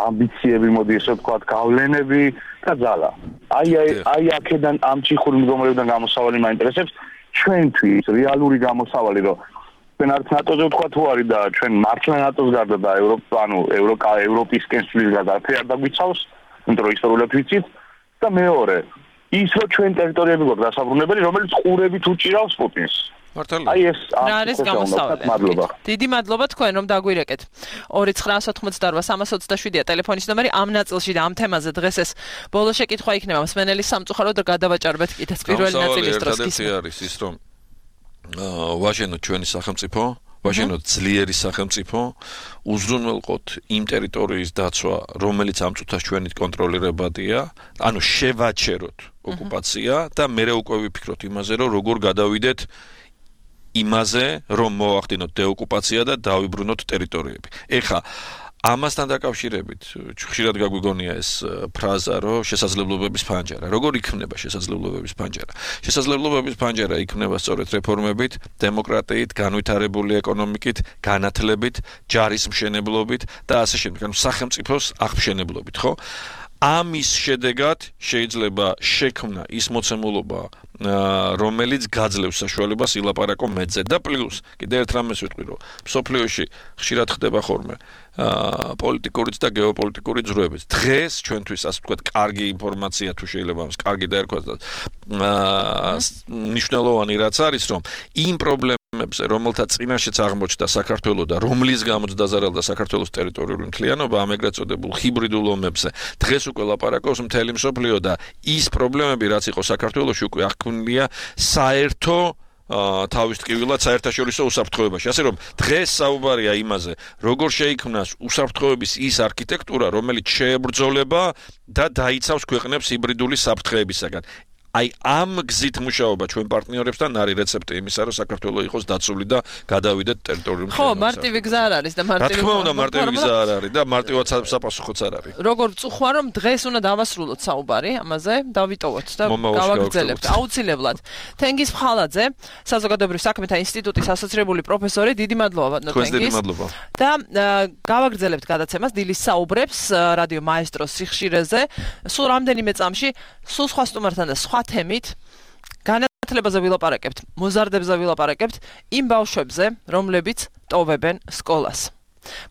Speaker 5: ამბიციები მოდი ესე ვთქვათ გავლენები და ძალა აი აი აქედან ამ ჩიხური მდგომარეობიდან გამოსავალი მაინტერესებს ჩვენთვის რეალური გამოსავალი რომ ჩვენ არც ნატოზე ვთქვათ უარი და ჩვენ მართლა ნატოს გარდა და ევროპა ანუ ევროკა ევროპისკენ სulis გარდა არ დაგვიცავს იმიტომ რომ ისტორიულად ვიცით და მეორე ის რომ ჩვენ ტერიტორიები გვაქვს დასაბრუნებელი რომელიც ყურებით უჭირავს პუტინს
Speaker 2: მართალია
Speaker 5: აი ეს
Speaker 1: არის გამოსავალი მადლობა დიდი მადლობა თქვენ რომ დაგვირეკეთ ორი ცხრაასა ოცდაოთხმოცდაორვა სამას ოცდაშვიდია ტელეფონის ნომერი ამ ნაწილში და ამ თემაზე დღეს ეს ბოლო შეკითხვა იქნება მსმენელის სამწუხაროდ გადავაჭარბეთ კიდეც პირველი ნაწილის დროს
Speaker 2: ის არის ის რომ ვაჟენო ჩვენი სახელმწიფო, ვაჟენო ძლიერი სახელმწიფო, უზრუნველყოთ იმ ტერიტორიის დაცვა, რომელიც ამ წუთას ჩვენით კონტროლირებადია, ანუ შევაჩეროთ ოკუპაცია და მე უკვე ვიფიქროთ იმაზე, რომ როგორ გადავიდეთ იმაზე, რომ მოვახდინოთ დეოკუპაცია და დავიბრუნოთ ტერიტორიები. ეხლა ამასთან დაკავშირებით ხშირად გაგვიგონია ეს ფრაზა, რომ შესაძლებლობების ფანჯარა. როგორ იქნება შესაძლებლობების ფანჯარა? შესაძლებლობების ფანჯარა იქნება სწორედ რეფორმებით, დემოკრატიით, განვითარებული ეკონომიკით, განათლებით, ჯარის მშენებლობით და ასე შემდეგ. ანუ სახელმწიფოს აღმშენებლობით, ხო? ამის შედეგად შეიძლება შექმნა ის მოცემულობა, რომელიც გაძლევს საშუალებას ილაპარაკო მეძზე და პლუს კიდევ ერთ რამეს ვიტყვი, რომ მსოფლიოში ხშირად ხდება ხოლმე პოლიტიკურიც და გეოპოლიტიკური ძროებიც. დღეს ჩვენთვის ასე ვთქვათ, კარგი ინფორმაცია თუ შეიძლება ამას კარგი დაერქვას და მნიშვნელოვანი რაც არის, რომ იმ პრობლემებზე, რომელთა წინაშეც აღმოჩნდა საქართველო და რომლის გამოც დაზარალდა საქართველოს ტერიტორიული მთლიანობა, ამ ეგრეთ წოდებულ ჰიბრიდულ ომებზე, დღეს უკვე ლაპარაკობს მთელი მსოფლიო და ის პრობლემები, რაც იყო საქართველოში, უკვე აღქმულია საერთო თავის ტკივილად საერთაშორისო უსაფრთხოებაში. ასე რომ დღეს საუბარია იმაზე, როგორ შეიქმნას უსაფრთხოების ის არქიტექტურა, რომელიც შეებრძოლება და დაიცავს ქვეყნებს ჰიბრიდული საფრთხეებისაგან. აი ამ გზით მუშაობა ჩვენ პარტნიორებთან არის რეცეპტი იმისა, რომ საქართველო იყოს დაცული და გადავიდეთ ტერიტორიულ
Speaker 1: ხო, მარტივი გზა არ არის და მარტივი.
Speaker 2: რა თქმა უნდა, მარტივი გზა არ არის და მარტივად საპასუხოც არ არის.
Speaker 1: როგორ წუხვა რომ დღეს უნდა დავასრულოთ საუბარი ამაზე, დავიტოვოთ და გავაგრძელებთ აუცილებლად. თენგიზ ფხალაძე, საზოგადოებრივ საქმეთა ინსტიტუტის ასოცირებული პროფესორი, დიდი მადლობა
Speaker 2: თქვენს დიდი მადლობა.
Speaker 1: და გავაგრძელებთ გადაცემას დილის საუბრებს რადიო მაესტროს სიხშირეზე. სულ რამდენიმე წამში სულ სხვა სტუმართან და სხვა თემით განათლებაზე ვილაპარაკებთ, მოზარდებზე ვილაპარაკებთ, იმ ბავშვებზე, რომლებიც ტოვებენ სკოლას.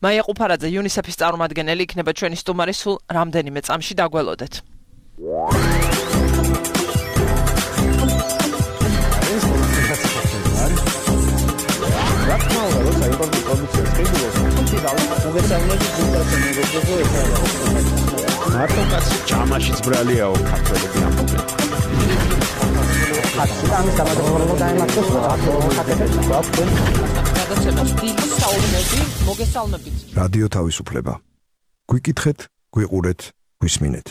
Speaker 1: მაია ყუფარაძე, იუნისეფის წარმომადგენელი იქნება ჩვენი სტუმარი სულ რამდენიმე წამში, დაგველოდეთ.
Speaker 6: მარტო კაცი ჯამაშიც ბრალიაო ქართველები ამბობენ. ამის გამარჯვება დაემართოს აკეთებს გვაქვს
Speaker 1: გადაცემას დილის საუბრები მოგესალმებით.
Speaker 7: რადიო თავისუფლება. გვიკითხეთ, გვიყურეთ, გვისმინეთ.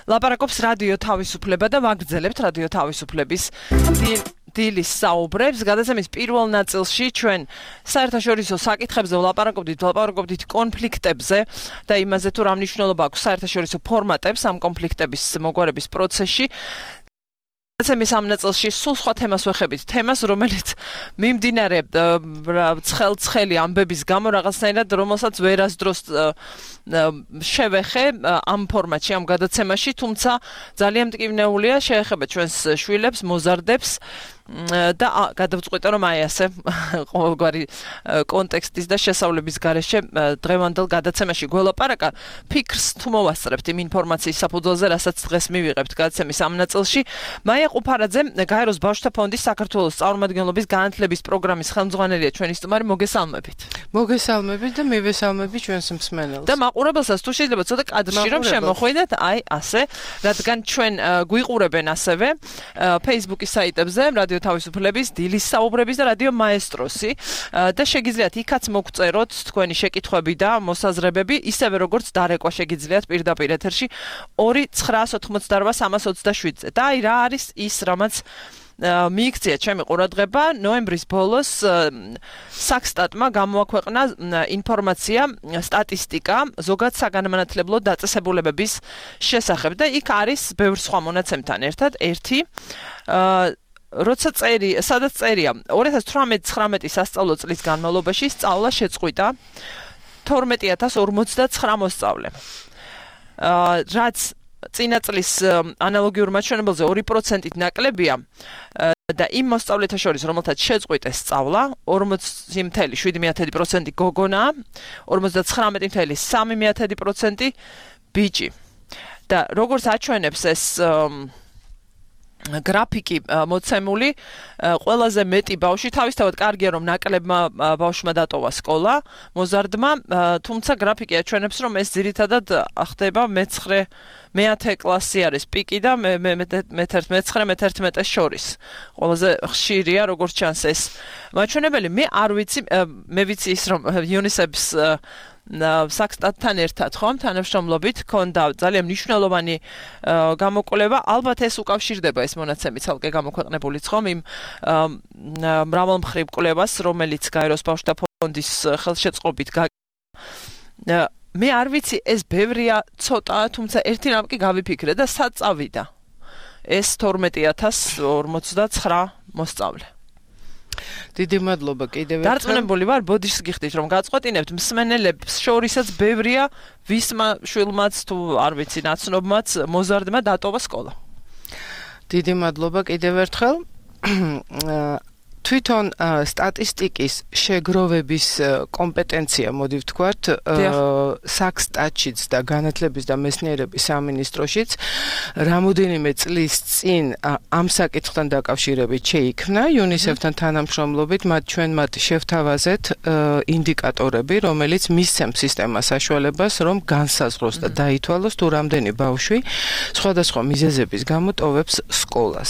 Speaker 1: ლაპარაკობს რადიო თავისუფლება და ვაგრძელებთ რადიო თავისუფლების დილის საუბრებს. გადაცემის პირველ ნაწილში ჩვენ საერთაშორისო საკითხებზე ვლაპარაკობდით, ვლაპარაკობდით კონფლიქტებზე და იმაზე თუ რა მნიშვნელობა აქვს საერთაშორისო ფორმატებს ამ კონფლიქტების მოგვარების პროცესში. გადაცემის ამ ნაწილში სულ სხვა თემას ვეხებით, თემას, რომელიც მიმდინარე ცხელ-ცხელი ამბების გამო რაღაცნაირად, რომელსაც ვერასდროს შევეხე ამ ფორმატში, ამ გადაცემაში, თუმცა ძალიან მტკივნეულია, შეეხება ჩვენს შვილებს, მოზარდებს და გადავწყვიტე რომ აი ასე ყოველგვარი კონტექსტის და შესავლების გარეშე დღევანდელ გადაცემაში გველაპარაკა ფიქრს თუ მოვასწრებთ იმ ინფორმაციის საფუძველზე, რასაც დღეს მივიღებთ გადაცემის ამ ნაწილში. მაია ყუფარაძე, გაეროს ბავშვთა ფონდის საქართველოს წარმომადგენლობის განათლების პროგრამის ხელმძღვანელია ჩვენი სტუმარი, მოგესალმებით.
Speaker 8: მოგესალმებით და მივესალმები ჩვენს მსმენელს.
Speaker 1: და მაყურებელსაც თუ შეიძლება ცოტა კადრში რომ შემოხვიდეთ, აი ასე, რადგან ჩვენ გვიყურებენ ასევე Facebook-ის საიტებზე, რადიო თავისუფლების დილის საუბრების და რადიო მაესტროსი და შეგიძლიათ იქაც მოგწეროთ თქვენი შეკითხვები და მოსაზრებები, ისევე როგორც დარეკვა შეგიძლიათ პირდაპირ ეთერში ორი ცხრაას ოთხმოცდარბა სამას ოცდაშვიდზე. და აი რა არის ის, რამაც მიიქცია ჩემი ყურადღება, ნოემბრის ბოლოს საქსტატმა გამოაქვეყნა ინფორმაცია, სტატისტიკა ზოგად საგანმანათლებლო დაწესებულებების შესახებ და იქ არის ბევრ სხვა მონაცემთან ერთად ერთი როცა წერი, სადაც წერია ორი ათას თვრამეტ-ცხრამეტი სასწავლო წლის განმავლობაში სწავლა შეწყვიტა თორმეტი ათას ორმოცდაცხრა მოსწავლემ. რაც წინა წლის ანალოგიურ მაჩვენებელზე ორი პროცენტით ნაკლებია და იმ მოსწავლეთა შორის, რომელთაც შეწყვიტეს სწავლა, ორმოცი მეთელი შვიდი მეთედი პროცენტი გოგონაა, ორმოცდაცხრამეტი მეთელი სამი მეთედი პროცენტი ბიჭი. და როგორც აჩვენებს ეს გრაფიკი მოცემული ყველაზე მეტი ბავშვი თავისთავად კარგია რომ ნაკლებმა ბავშვმა დატოვა სკოლა მოზარდმა თუმცა გრაფიკი აჩვენებს რომ ეს ძირითადად ხდება მეცხრე მეათე კლასი არის პიკი და მეცხრე მეთერთმეტეს შორის ყველაზე ხშირია როგორც ჩანს ეს მაჩვენებელი მე არ ვიცი მე ვიცი ის რომ UNICEF-ს საქსტატთან ერთად ხომ თანამშრომლობით ქონდა ძალიან მნიშვნელოვანი გამოკვლევა ალბათ ეს უკავშირდება ეს მონაცემი ცალკე გამოქვეყნებულიც ხომ იმ მრავალმხრივ კვლევას რომელიც გაეროს ბავშვთა ფონდის ხელშეწყობით მე არ ვიცი ეს ბევრია ცოტაა თუმცა ერთი რამ კი გავიფიქრე და სად წავიდა ეს თორმეტი ათას ორმოცდაცხრა მოსწავლე
Speaker 8: დიდი მადლობა კიდევ ერთხელ.
Speaker 1: დარწმუნებული ვარ, ბოდიშს გიხდით, რომ გაწყვეტინებთ მსმენელებს შორისაც ბევრია, ვისმა შვილმაც თუ არ ვიცი, ნაცნობმაც მოზარდმა დატოვა სკოლა.
Speaker 8: დიდი მადლობა კიდევ ერთხელ. თვითონ სტატისტიკის შეგროვების კომპეტენცია, მოდი ვთქვათ, საქსტატშიც და განათლების და მეცნიერების სამინისტროშიც რამოდენიმე წლის წინ ამ საკითხთან დაკავშირებით შეიქმნა UNICEF-თან თანამშრომლობით, მათ ჩვენ მათ შევთავაზეთ ინდიკატორები, რომელიც მისცემს სისტემას საშუალებას, რომ განსაზღვროს და დაითვალოს თუ რამდენი ბავშვი სხვადასხვა მიზეზების გამო ტოვებს სკოლას.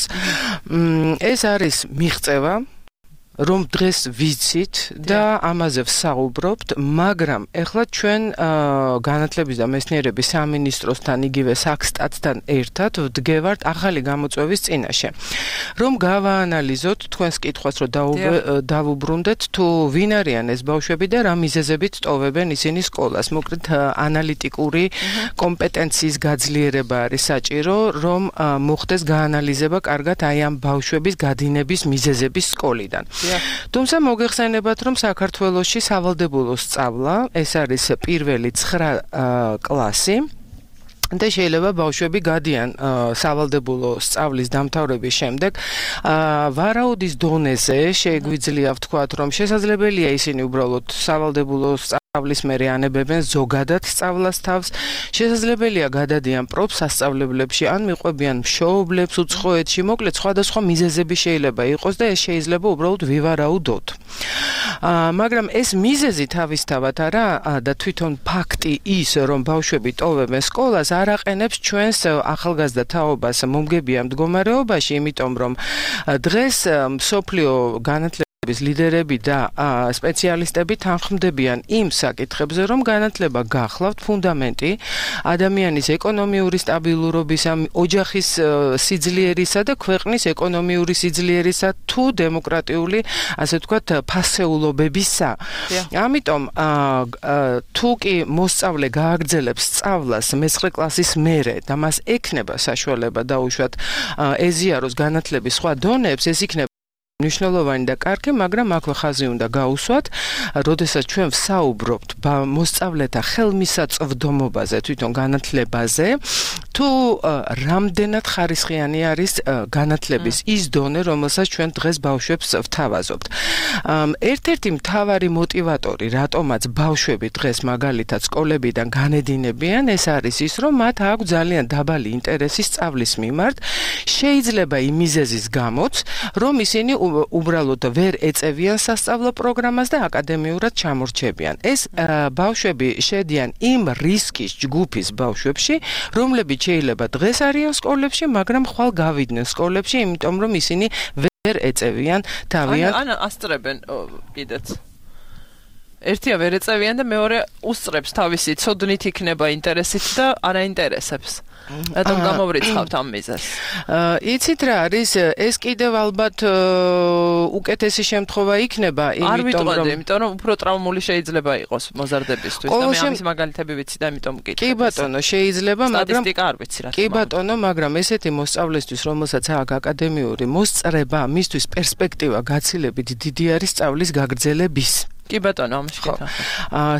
Speaker 8: ეს არის მიღწევა რომ დღეს ვიცით და ამაზე ვსაუბრობთ, მაგრამ ეხლა ჩვენ განათლების და მეცნიერების სამინისტროსთან იგივე საქსტატთან ერთად ვდგევართ ახალი გამოწვევის წინაშე. რომ გავაანალიზოთ თქვენს კითხვას, რომ დავუბრუნდეთ თუ ვინ არიან ეს ბავშვები და რა მიზეზებით ტოვებენ ისინი სკოლას. მოკლედ ანალიტიკური კომპეტენციის გაძლიერება არის საჭირო, რომ მოხდეს გაანალიზება კარგად აი ამ ბავშვების გადინების მიზეზების სკოლიდან. თუმცა მოგეხსენებათ, რომ საქართველოში სავალდებულო სწავლა, ეს არის პირველი ცხრა კლასი და შეიძლება ბავშვები გადიან სავალდებულო სწავლის დამთავრების შემდეგ ვარაუდის დონეზე შეგვიძლია ვთქვათ, რომ შესაძლებელია ისინი უბრალოდ სავალდებულო სწავლის მერე ანებებენ ზოგადად სწავლას თავს, შესაძლებელია გადადიან პროფსასწავლებლებში, ან მიყვებიან მშობლებს უცხოეთში, მოკლედ სხვადასხვა მიზეზები შეიძლება იყოს და ეს შეიძლება უბრალოდ ვივარაუდოთ. მაგრამ ეს მიზეზი თავისთავად არა და თვითონ ფაქტი ის, რომ ბავშვები ტოვებენ სკოლას, არ აყენებს ჩვენს ახალგაზრდა თაობას მომგებიან მდგომარეობაში, იმიტომ რომ დღეს მსოფლიო განათლების ლიდერები და სპეციალისტები თანხმდებიან იმ საკითხებზე, რომ განათლება გახლავთ ფუნდამენტი ადამიანის ეკონომიური სტაბილურობისა, ოჯახის სიძლიერისა და ქვეყნის ეკონომიური სიძლიერისა თუ დემოკრატიული, ასე ვთქვათ, ფასეულობებისა. ამიტომ თუ კი მოსწავლე გააგრძელებს სწავლას მეცხრე კლასის მერე და მას ექნება საშუალება დაუშვათ ეზიაროს განათლების სხვა დონეებს, ეს იქნება მნიშვნელოვანი და კარგი, მაგრამ აქვე ხაზი უნდა გაუსვათ, როდესაც ჩვენ ვსაუბრობთ მოსწავლეთა ხელმისაწვდომობაზე, თვითონ განათლებაზე, თუ რამდენად ხარისხიანი არის განათლების ის დონე, რომელსაც ჩვენ დღეს ბავშვებს ვთავაზობთ. ერთ-ერთი მთავარი მოტივატორი, რატომაც ბავშვები დღეს მაგალითად სკოლებიდან განედინებიან, ეს არის ის, რომ მათ აქვს ძალიან დაბალი ინტერესი სწავლის მიმართ, შეიძლება იმ მიზეზის გამოც, რომ ისინი უბრალოდ ვერ ეწევიან სასწავლო პროგრამას და აკადემიურად ჩამორჩებიან. ეს ბავშვები შედიან იმ რისკის ჯგუფის ბავშვებში, რომლებიც შეიძლება დღეს არიან სკოლებში, მაგრამ ხვალ გავიდნენ სკოლებში, იმიტომ რომ ისინი ვერ ეწევიან თავიანთ.
Speaker 1: ან ასწრებენ კიდეც. ერთია ვერ ეწევიან და მეორე უსწრებს თავისი ცოდნით იქნება ინტერესით და არა ინტერესებს. რატომ გამოვრიცხავთ ამ მიზეზს?
Speaker 8: იცით რა არის, ეს კიდევ ალბათ უკეთესი შემთხვევა იქნება,
Speaker 1: იმიტომ რომ იმიტომ რომ უფრო ტრაუმული შეიძლება იყოს მოზარდებისთვის და მე ამის მაგალითები ვიცი და იმიტომ მკითხე.
Speaker 8: კი ბატონო, შეიძლება, მაგრამ
Speaker 1: სტატისტიკა არ ვიცი რა.
Speaker 8: კი ბატონო, მაგრამ ესეთი მოსწავლისთვის, რომელსაც აქვს აკადემიური მოსწრება, მისთვის პერსპექტივა გაცილებით დიდი არის სწავლის გაგრძელების.
Speaker 1: კი ბატონო, ამაში კითხავ.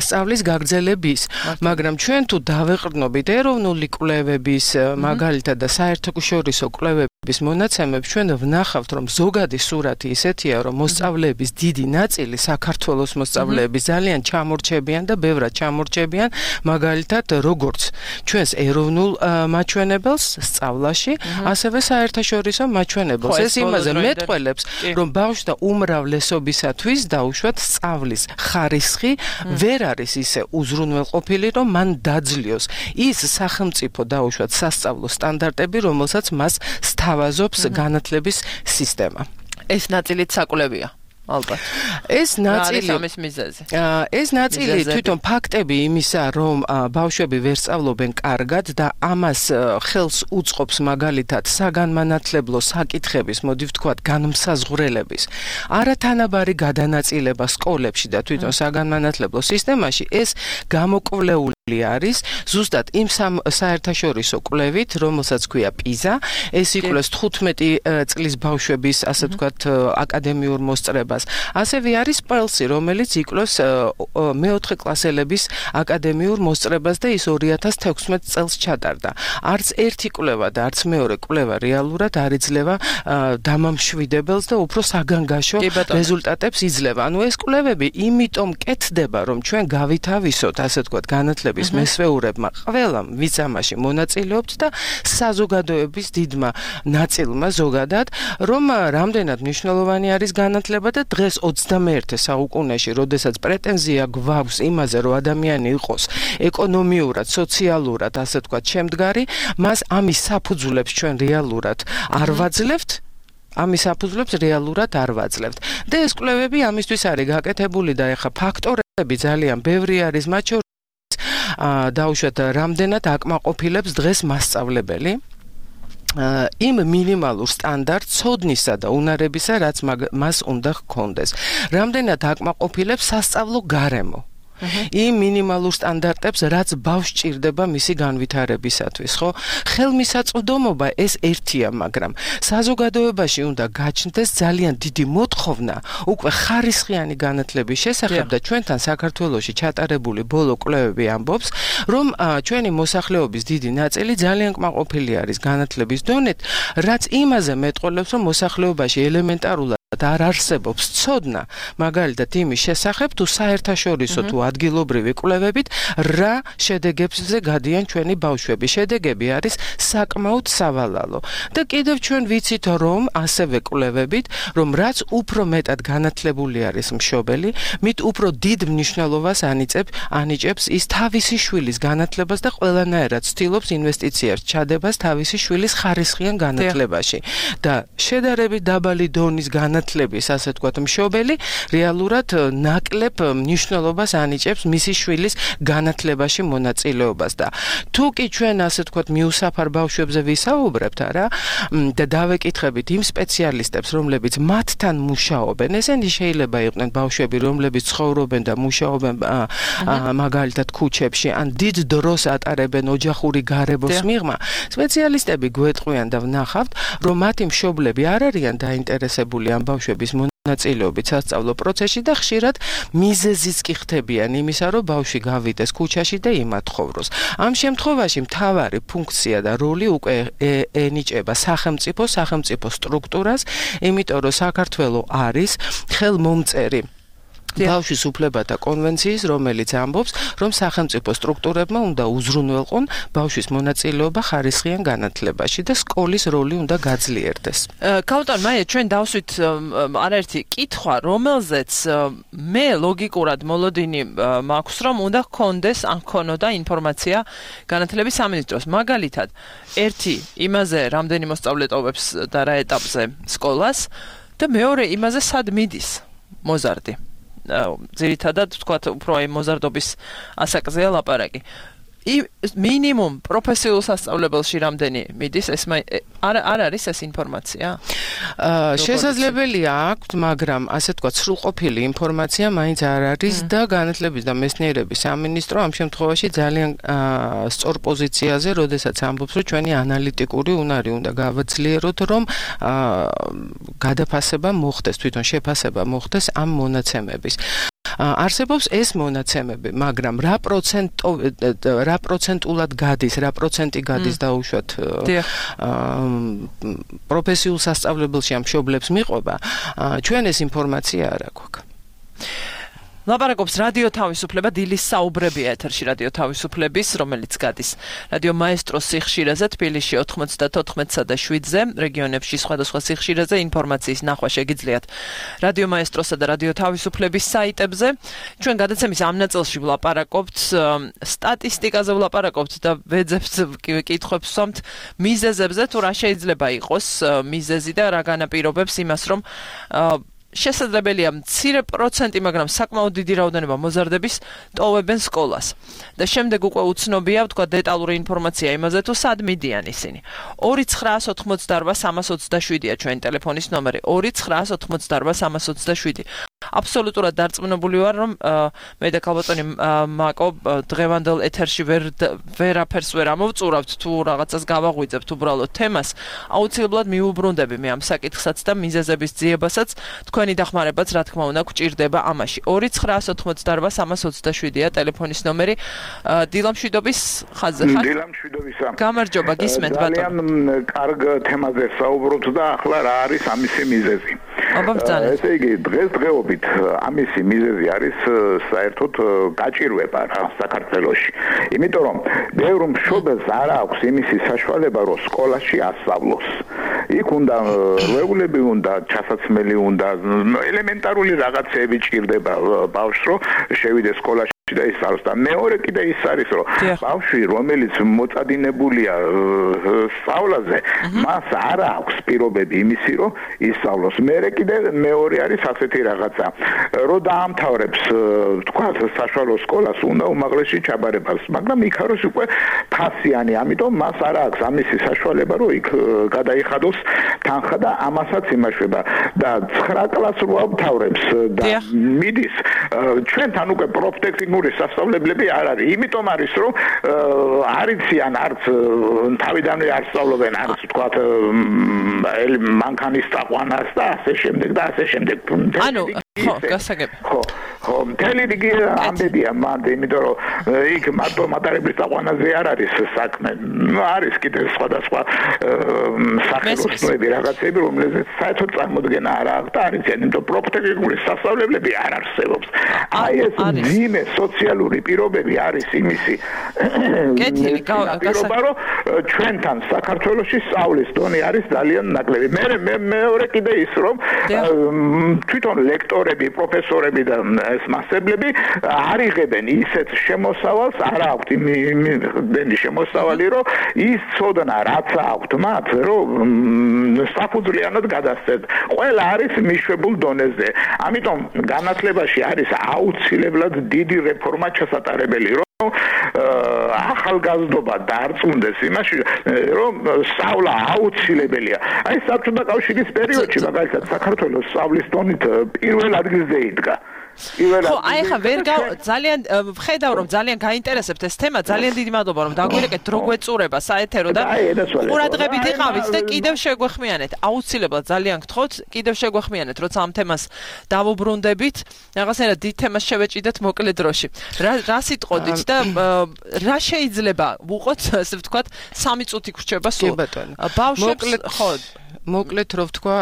Speaker 8: სწავლის გაგრძელების, მაგრამ ჩვენ თუ დავეყრდნობით ეროვნული კვლევების, მაგალითად და საერთაშორისო კვლევების bis მონაცემებს ჩვენ ვნახავთ რომ ზოგადი სურათი ისეთია რომ მოსწავლეების დიდი ნაწილი საქართველოს მოსწავლეები ძალიან ჩამორჩებიან და ბევრად ჩამორჩებიან მაგალითად როგორც ჩვენს ეროვნულ მაჩვენებელს სწავლაში ასევე საერთაშორისო მაჩვენებელს ეს იმაზე მეტყველებს რომ ბავშვთა უმრავლესობისათვის დაუშვათ სწავლის ხარისხი ვერ არის ისე უზრუნველყოფილი რომ მან დაძლიოს ის სახელმწიფო დაუშვათ სასწავლო სტანდარტები რომელსაც მას სთავაზობს განათლების სისტემა.
Speaker 1: ეს ნაწილიც საკვლევია. ალბათ.
Speaker 8: ეს ნაწილი
Speaker 1: ამის მიზეზი.
Speaker 8: ეს ნაწილი თვითონ ფაქტები იმისა, რომ ბავშვები ვერ სწავლობენ კარგად და ამას ხელს უწყობს მაგალითად საგანმანათლებლო საკითხების, მოდი ვთქვათ, განმსაზღვრელების. არათანაბარი გადანაწილება სკოლებში და თვითონ საგანმანათლებლო სისტემაში ეს გამოკვლეული არის ზუსტად იმ საერთაშორისო კვლევით, რომელსაც ქვია პიზა, ეს იკვლევს თხუთმეტი წლის ბავშვების, ასე ვთქვათ, აკადემიურ მოსწრებას. ასევე არის პელსი, რომელიც იკვლევს მეოთხე კლასელების აკადემიურ მოსწრებას და ის ორი ათას თექვსმეტ წელს ჩატარდა. არც ერთი კვლევა და არც მეორე კვლევა რეალურად არ იძლევა დამამშვიდებელს და უფრო საგანგაშო რეზულტატებს იძლევა. ანუ ეს კვლევები იმიტომ კეთდება, რომ ჩვენ გავითავისოთ, ასე ვთქვათ, განათლების მესვეურებმა ყველამ ვიზამაში მონაწილეობთ და საზოგადოების დიდმა ნაწილმა ზოგადად, რომ რამდენად მნიშვნელოვანი არის განათლება და დღეს ოცდამეერთე საუკუნეში, როდესაც პრეტენზია გვაქვს იმაზე, რომ ადამიანი იყოს ეკონომიურად, სოციალურად, ასე ვთქვათ, შემდგარი, მას ამის საფუძვლებს ჩვენ რეალურად არ ვაძლევთ. ამის საფუძვლებს რეალურად არ ვაძლევთ. და ეს კვლევები ამისთვის არის გაკეთებული და ეხა ფაქტორები ძალიან ბევრი არის, მათ შორის დაუშვათ რამდენად აკმაყოფილებს დღეს მასწავლებელი იმ მინიმალურ სტანდარტ ცოდნისა და უნარებისა, რაც მას უნდა ჰქონდეს. რამდენად აკმაყოფილებს სასწავლო გარემო. იმ მინიმალურ სტანდარტებს, რაც ბავშვს ჭირდება მისი განვითარებისათვის, ხო? ხელმისაწვდომობა ეს ერთია, მაგრამ საზოგადოებაში უნდა გაჩნდეს ძალიან დიდი მოთხოვნა უკვე ხარისხიანი განათლების შესახებ და ჩვენთან საქართველოში ჩატარებული ბოლო კვლევები ამბობს, რომ ჩვენი მოსახლეობის დიდი ნაწილი ძალიან კმაყოფილი არის განათლების დონით, რაც იმაზე მეტყველებს, რომ მოსახლეობაში ელემენტარულად არ არსებობს ცოდნა, მაგალითად იმის შესახებ, თუ საერთაშორისო თუ ადგილობრივი კვლევებით რა შედეგებზე გადიან ჩვენი ბავშვები. შედეგები არის საკმაოდ სავალალო. და კიდევ ჩვენ ვიცით, რომ ასევე კვლევებით, რომ რაც უფრო მეტად განათლებული არის მშობელი, მით უფრო დიდ მნიშვნელობას ანიჭებს ანიჭებს ის თავისი შვილის განათლებას და ყველანაირად ცდილობს ინვესტიციებს ჩადებას თავისი შვილის ხარისხიან განათლებაში. და შედარებით დაბალი დონის განათლების, ასე ვთქვათ, მშობელი რეალურად ნაკლებ მნიშვნელობას ანიჭებს მისი შვილის განათლებაში მონაწილეობას და თუ კი ჩვენ, ასე ვთქვათ, მიუსაფარ ბავშვებზე ვისაუბრებთ, არა, და დავეკითხებით იმ სპეციალისტებს, რომლებიც მათთან მუშაობენ, ესენი შეიძლება იყვნენ ბავშვები, რომლებიც ცხოვრობენ და მუშაობენ მაგალითად ქუჩებში, ან დიდ დროს ატარებენ ოჯახური გარემოს მიღმა, სპეციალისტები გვეტყვიან და ვნახავთ, რომ მათი მშობლები არ არიან დაინტერესებული ამ ბავშვების მონაწილეობით სასწავლო პროცესში და ხშირად მიზეზიც კი ხდებიან იმისა, რომ ბავშვი გავიდეს ქუჩაში და იმათხოვროს. ამ შემთხვევაში მთავარი ფუნქცია და როლი უკვე ენიჭება სახელმწიფო, სახელმწიფო სტრუქტურას, იმიტომ რომ საქართველო არის ხელმომწერი ბავშვის უფლებათა კონვენციის, რომელიც ამბობს, რომ სახელმწიფო სტრუქტურებმა უნდა უზრუნველყონ ბავშვის მონაწილეობა ხარისხიან განათლებაში და სკოლის როლი უნდა გაძლიერდეს.
Speaker 1: კაუტონ, მაია, ჩვენ დავსვით არაერთი კითხვა, რომელზეც მე ლოგიკურად მოლოდინი მაქვს, რომ უნდა ჰქონდეს ან ჰქონოდა ინფორმაცია განათლების სამინისტროს. მაგალითად, ერთი იმაზე, რამდენი მოსწავლე ტოვებს და რა ეტაპზე სკოლას და მეორე იმაზე, სად მიდის მოზარდი. ძირითადად ვთქვათ, უფრო აი მოზარდობის ასაკზეა ლაპარაკი. მინიმუმ პროფესიულ სასწავლებელში რამდენი მიდის, ეს არ არ არის ეს ინფორმაცია?
Speaker 8: შესაძლებელია აქვთ, მაგრამ ასე ვთქვათ, სრულყოფილი ინფორმაცია მაინც არ არის და განათლების და მეცნიერების სამინისტრო ამ შემთხვევაში ძალიან სწორ პოზიციაზე, როდესაც ამბობს, რომ ჩვენი ანალიტიკური უნარი უნდა გავაძლიეროთ, რომ გადაფასება მოხდეს, თვითონ შეფასება მოხდეს ამ მონაცემების. არსებობს ეს მონაცემები, მაგრამ რა პროცენტო რა პროცენტულად გადის, რა პროცენტი გადის დაუშვათ პროფესიულ სასწავლებელში ამ მშობლებს მიყვება, ჩვენ ეს ინფორმაცია არ აქვს.
Speaker 1: ლაპარაკობს რადიო თავისუფლება, დილის საუბრებია ეთერში რადიო თავისუფლების, რომელიც გადის რადიო მაესტროს სიხშირეზე თბილისში ოთხმოცდათოთხმეტსა და შვიდზე, რეგიონებში სხვადასხვა სიხშირეზე ინფორმაციის ნახვა შეგიძლიათ რადიო მაესტროსა და რადიო თავისუფლების საიტებზე. ჩვენ გადაცემის ამ ნაწილში ვლაპარაკობთ სტატისტიკაზე ვლაპარაკობთ და ვეძებთ კითხვებს ვსვამთ მიზეზებზე, თუ რა შეიძლება იყოს მიზეზი და რა განაპირობებს იმას, რომ შესაძლებელია მცირე პროცენტი, მაგრამ საკმაოდ დიდი რაოდენობა მოზარდების ტოვებენ სკოლას. და შემდეგ უკვე უცნობია, ვთქვა, დეტალური ინფორმაცია იმაზე, თუ სად მიდიან ისინი. ორი ცხრაას ოცდაოთხ სამას ოცდაშვიდია ჩვენი ტელეფონის ნომერი. ორი ცხრაას ოცდაოთხ სამას ოცდაშვიდი. აბსოლუტურად დარწმუნებული ვარ, რომ მე და ქალბატონი მაკო დღევანდელ ეთერში ვერ ვერაფერს ვერ ამოვწურავთ, თუ რაღაცას გავაღვიძებთ უბრალოდ თემას. აუცილებლად მიუბრუნდები მე ამ საკითხსაც და მიზეზების ძიებასაც, თქვენი დახმარებაც რა თქმა უნდა გვჭირდება ამაში. ორი ცხრაას ოცდაოთხ სამას ოცდაშვიდია ტელეფონის ნომერი. დილამშვიდობის ხაზზე ხარ?
Speaker 9: დილამშვიდობისა.
Speaker 1: გამარჯობა, გისმენთ ბატონო.
Speaker 9: ძალიან კარგ თემაზე საუბრობთ და ახლა რა არის ამისი მიზეზი?
Speaker 1: აბა ბრძანეთ.
Speaker 9: ესე იგი დღესდღეობით ამისი მიზეზი არის საერთოდ გაჭირვება რა საქართველოში. იმიტომ რომ ბევრ მშობელს არ აქვს იმისი საშუალება, რომ სკოლაში ასწავლოს. იქ უნდა რეგულები უნდა, ჩასაცმელი უნდა, ელემენტარული რაღაცები ჭირდება ბავშვს, რომ შევიდეს სკოლაში და ისწავლოს. და მეორე კიდე ის არის, რომ ბავშვი, რომელიც მოწადინებულია სწავლაზე, მას არ აქვს პირობები იმისი, რომ ისწავლოს. მერე კიდე მეორე არის ასეთი რაღაცა, რომ დაამთავრებს, თქვა, საშუალო სკოლას, უნდა უმაღლესი ჩაბარებას, მაგრამ იქ არის უკვე ფასიანი, ამიტომ მას არ აქვს ამისი საშუალება, რომ იქ გადაიხადოს თანხა და ამასაც იმაშვება და ცხრა კლასს რო ამთავრებს და მიდის ჩვენთან უკვე პროფტექნიკური სასწავლებლები არ არის. იმიტომ არის, რომ არ იციან არც თავიდანვე არ სწავლობენ, არც თქვა მანქანის წაყვანას და ასე შემდეგ და ასე შემდეგ.
Speaker 1: ანუ ხო, გასაგები.
Speaker 9: ხო, ხო, მთელი რიგი ამბებია მანდ, იმიტომ რომ იქ მარტო მატარებლის წაყვანაზე არ არის საქმე. არის კიდევ სხვადასხვა სახელოსნოები რაღაცები, რომელზეც საერთოდ წარმოდგენა არ აქვს და არ იციან, იმიტომ პროფტექნიკური სასწავლებლები არ არსებობს. აი ეს ძიმე სოციალური პირობები არის იმისი.
Speaker 1: კეთილი,
Speaker 9: გასაგები, რომ ჩვენთან საქართველოში სწავლის დონე არის ძალიან ნაკლები. მე მეორე კიდე ის, რომ თვითონ ლექტორები, პროფესორები და ეს მასწავლებლები არ იღებენ ისეთ შემოსავალს, არ აქვთ იმდენი შემოსავალი, რომ ის ცოდნა რაც აქვთ მათ, რომ საფუძვლიანად გადასცეთ. ყველა არის მიშვებულ დონეზე. ამიტომ განათლებაში არის აუცილებლად დიდი რეფორმა ჩასატარებელი, რომ ახალგაზრდობა დარწმუნდეს იმაში, რომ სწავლა აუცილებელია. აი საბჭოთა კავშირის პერიოდში მაგალითად საქართველოს სწავლის დონით პირველ ადგილზე იდგა.
Speaker 1: ხო, აი ხა ვერ ძალიან ვხედავ რომ ძალიან გაინტერესებთ ეს თემა, ძალიან დიდი მადლობა რომ დაგვირეკეთ დრო გვეწურება საეთერო და ყურადღებით იყავით და კიდევ შეგვეხმიანეთ. აუცილებლად ძალიან გთხოვთ, კიდევ შეგვეხმიანეთ, როცა ამ თემას დავუბრუნდებით, რაღაცნაირად დიდ თემას შევეჭიდეთ მოკლე დროში. რა სიტყოდით და რა შეიძლება ვუყოთ, ასე ვთქვათ, სამი წუთი გრჩება სულ. ბავშვებს ხო
Speaker 8: მოკლედ რო ვთქვა,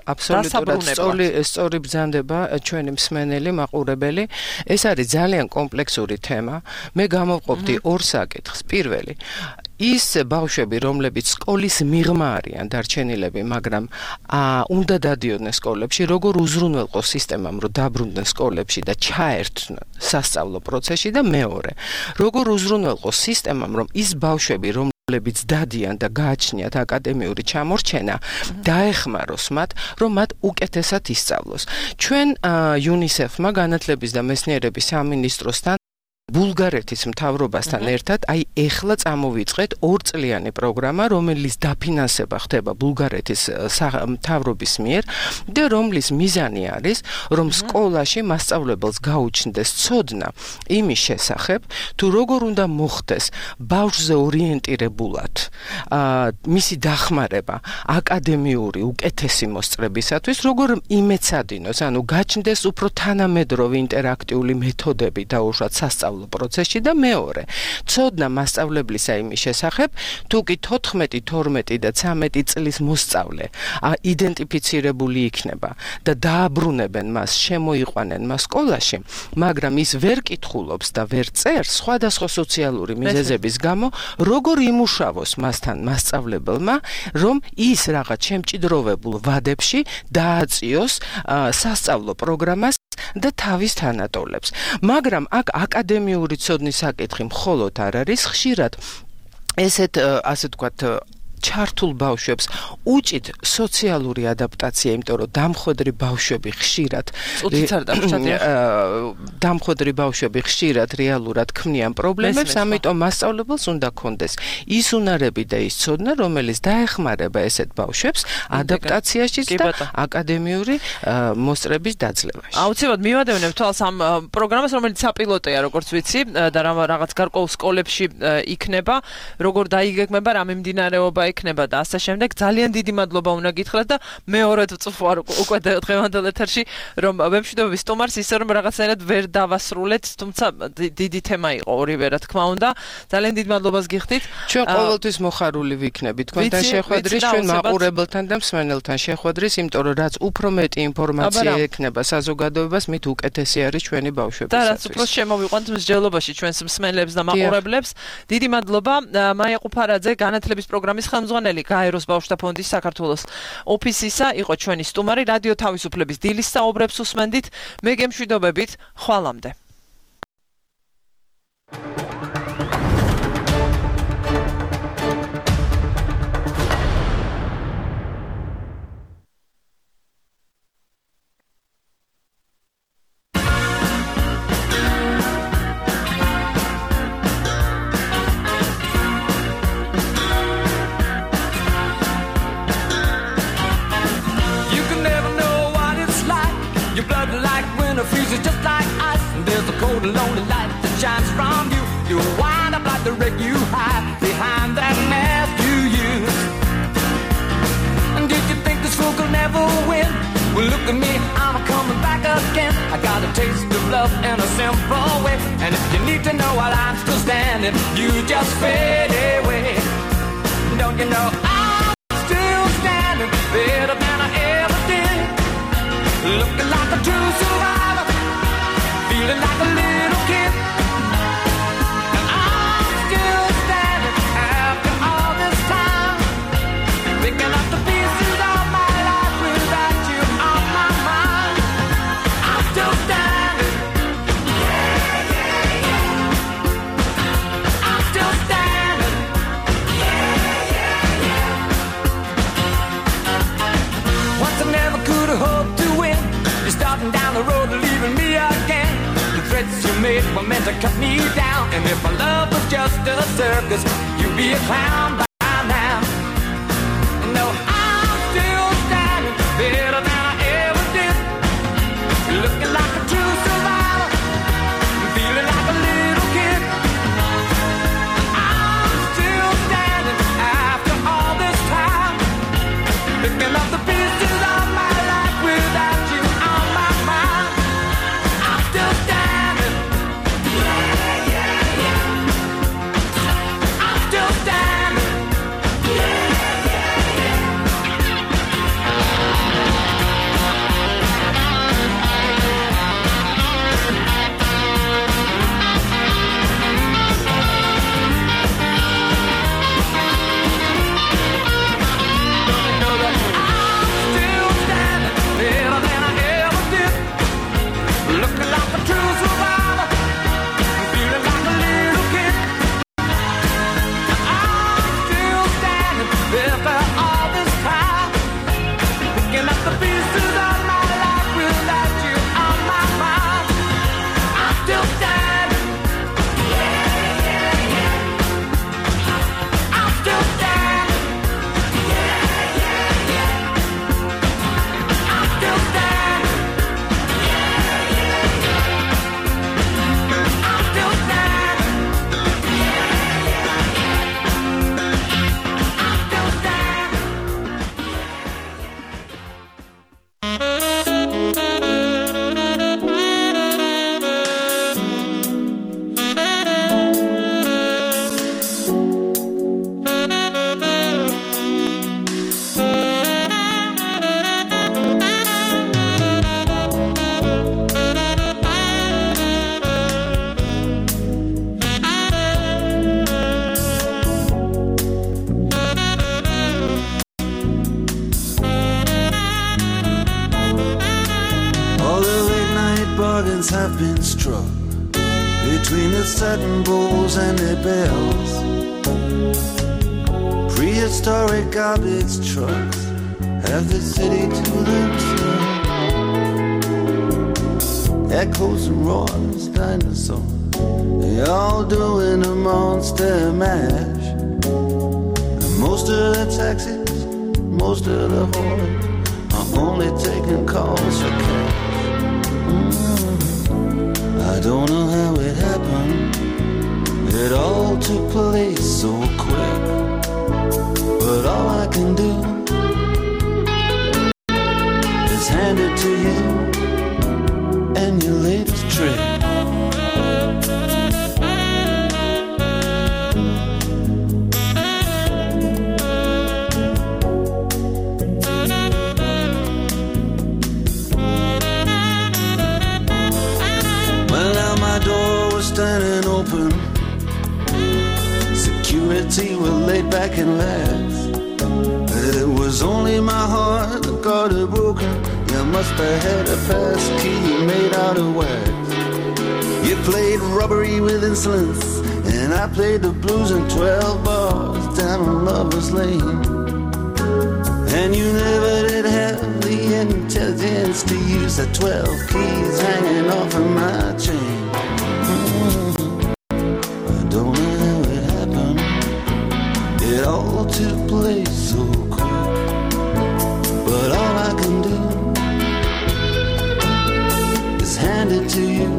Speaker 8: აბსოლუტურად სწორი სწორი ბრძანდება ჩვენი მსმენელი, მაყურებელი. ეს არის ძალიან კომპლექსური თემა. მე გამოვყოფდი ორ საკითხს. პირველი, ის ბავშვები, რომლებიც სკოლის მიღმა არიან დარჩენილები, მაგრამ უნდა დადიოდნენ სკოლებში, როგორ უზრუნველყო სისტემამ, რომ დაბრუნდნენ სკოლებში და ჩაერთვნენ სასწავლო პროცესში და მეორე, როგორ უზრუნველყო სისტემამ, რომ ის ბავშვები, რომ ლებიც დადიან და გააჩნიათ აკადემიური ჩამორჩენა, დაეხმაროს მათ, რომ მათ უკეთესად ისწავლოს. ჩვენ იუნისეფმა განათლების და მეცნიერების სამინისტროსთან ბულგარეთის მთავრობასთან ერთად აი ეხლა წამოვიწყეთ ორწლიანი პროგრამა, რომელიც დაფინანსება ხდება ბულგარეთის მთავრობის მიერ და რომლის მიზანი არის, რომ სკოლაში მასწავლებელს გაუჩნდეს ცოდნა იმის შესახებ, თუ როგორ უნდა მოხდეს ბავშვზე ორიენტირებულად მისი დახმარება აკადემიური უკეთესი მოსწრებისათვის, როგორ იმეცადინოს, ანუ გაჩნდეს უფრო თანამედროვე ინტერაქტიული მეთოდები დაუშვათ სასწავლო პროცესში და მეორე, ცოდნა მასწავლებლისა იმის შესახებ, თუ კი თოთხმეტი, თორმეტი და ცამეტი წლის მოსწავლე იდენტიფიცირებული იქნება და დააბრუნებენ მას, შემოიყვანენ მას სკოლაში, მაგრამ ის ვერ კითხულობს და ვერ წერს სხვადასხვა სოციალური მიზეზების გამო, როგორ იმუშავოს მასთან მასწავლებელმა, რომ ის რაღაც შემჭიდროვებულ ვადებში დააწიოს სასწავლო პროგრამას და თავის თანატოლებს. მაგრამ აქ აკადემიური ცოდნის საკითხი მხოლოდ არ არის, ხშირად ესეთ ასე ვთქვათ ჩართულ ბავშვებს უჭით სოციალური ადაპტაცია, იმიტომ რომ დამხვედრი ბავშვები ხშირად დამხვედრი ბავშვები ხშირად რეალურად ქმნიან პრობლემებს, ამიტომ მასწავლებელს უნდა კონდეს ის უნარები და ის ცოდნა, რომელიც დაეხმარება ესეთ ბავშვებს ადაპტაციაში და აკადემიური მოსწრების დაძლევაში.
Speaker 1: აუცილებლად მივადევნებ თვალს ამ პროგრამას, რომელიც საპილოტეა, როგორც ვიცი, და რაღაც გარკვეულ სკოლებში იქნება, როგორ დაიგეგმება, რა მიმდინარეობა იქნება და ასე შემდეგ. ძალიან დიდი მადლობა უნდა გითხრათ და მეორედ ვწვარ უკვე დღევანდელ ეთერში, რომ ვემშვიდობები სტუმარს, ისე რომ რაღაცნაირად ვერ დავასრულეთ, თუმცა დიდი თემა იყო ორივე, რა თქმა უნდა. ძალიან დიდ მადლობას გიხდით.
Speaker 8: ჩვენ ყოველთვის მოხარული ვიქნებით თქვენთან შეხვედრის, ჩვენ მაყურებელთან და მსმენელთან შეხვედრის, იმიტომ რომ რაც უფრო მეტი ინფორმაცია ექნება საზოგადოებას, მით უკეთესი არის ჩვენი ბავშვებისათვის.
Speaker 1: და რაც უფრო შემოვიყვანთ მსჯელობაში ჩვენს მსმენელებს და მაყურებლებს. დიდი მადლობა. მაია ყუფარაძე, განათლების პროგრამის ხელმძღვანელი გაეროს ბავშვთა ფონდის საქართველოს ოფისისა იყო ჩვენი სტუმარი. რადიო თავისუფლების დილის საუბრებს უსმენდით. მე გემშვიდობებით, ხვალამდე.
Speaker 10: Freezes just like ice, and there's a cold and lonely light that shines from you. You wind up like the wreck you hide behind that mask you use. And did you think this fool could never win? Well, look at me, I'm coming back again. I got a taste of love in a simple way. And if you need to know while I'm still standing, you just fade away. Don't you know I'm still standing better than I ever did? Looking like a true survivor, feeling like a little kid. And I'm still standing after all this time, picking up the pieces of my life without you on my mind. I'm still standing. Yeah, yeah, yeah. I'm still standing. Yeah, yeah, yeah. Once I never could have hoped to win. You're starting down the road and leaving me again. The threats you made were meant to cut me down. And if my love was just a circus, you'd be a clown by now. No, I'm still standing better than I ever did. Looking like a true survivor, feeling like a little kid. I'm still standing after all this time, picking up the pieces of my life without you. Still standing. Yeah, yeah, yeah. I'm still standing.
Speaker 11: satin bowls and their bells. Prehistoric garbage trucks have the city to themselves. Echoes and roars, dinosaurs, they all doing a monster mash. And most of the taxis, most of the whores are only taking calls for cash. Mm-hmm. I don't know how it happened. It all took place so quick. But all I can do is hand it to you and your latest trick. Well, now my door was standing open. Security were laid back and laughed. It was only my heart that got it broken. You must have had a pass key made out of wax. You played robbery with insolence, and I played the blues in twelve bars down on Lover's Lane. And you never did have the intelligence to use the twelve keys hanging off of my chain. It all took place so quick, but all I can do is hand it to you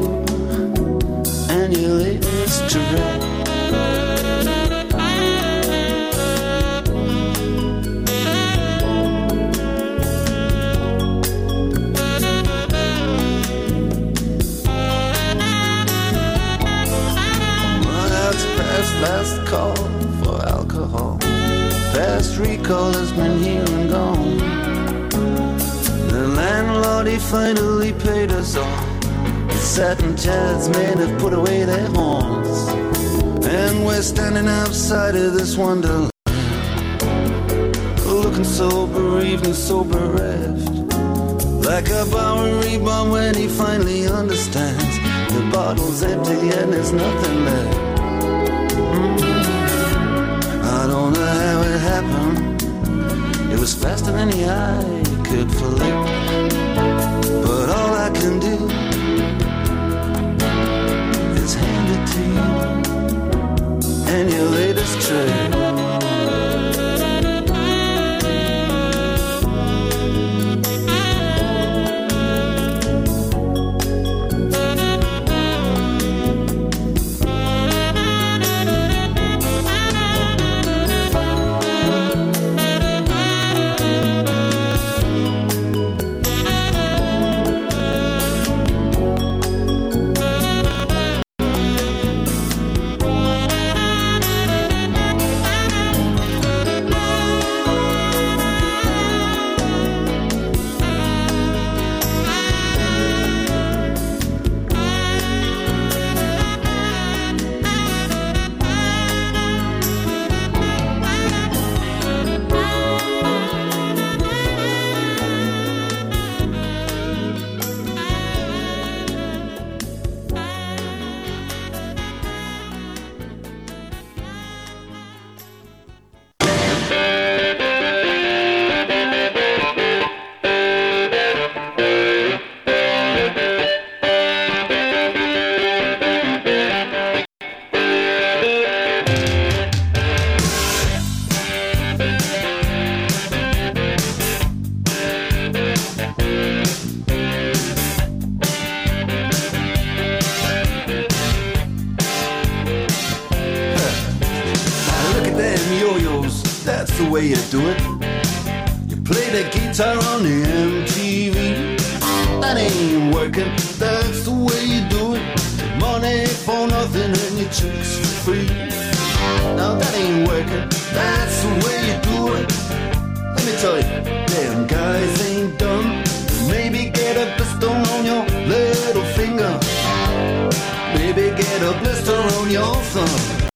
Speaker 11: and your latest trick. Well, that's past last call for alcohol. Fast recall has been here and gone. The landlord, he finally paid us all. The satin chairs men have put away their horns, and we're standing outside of this wonderland, looking so bereaved and so bereft, like a Bowery bomb when he finally understands the bottle's empty and there's nothing left. Mm-hmm. I don't know how it happened. It was faster than the eye could flick. But all I can do is hand it to you and your latest trick. way you do it. You play the guitar on the M T V. That ain't working, that's the way you do it. Money for nothing and your chicks for free. Now that ain't working, that's the way you do it. Let me tell you, damn guys ain't dumb. Maybe get a blister on your little finger. Maybe get a blister on your thumb.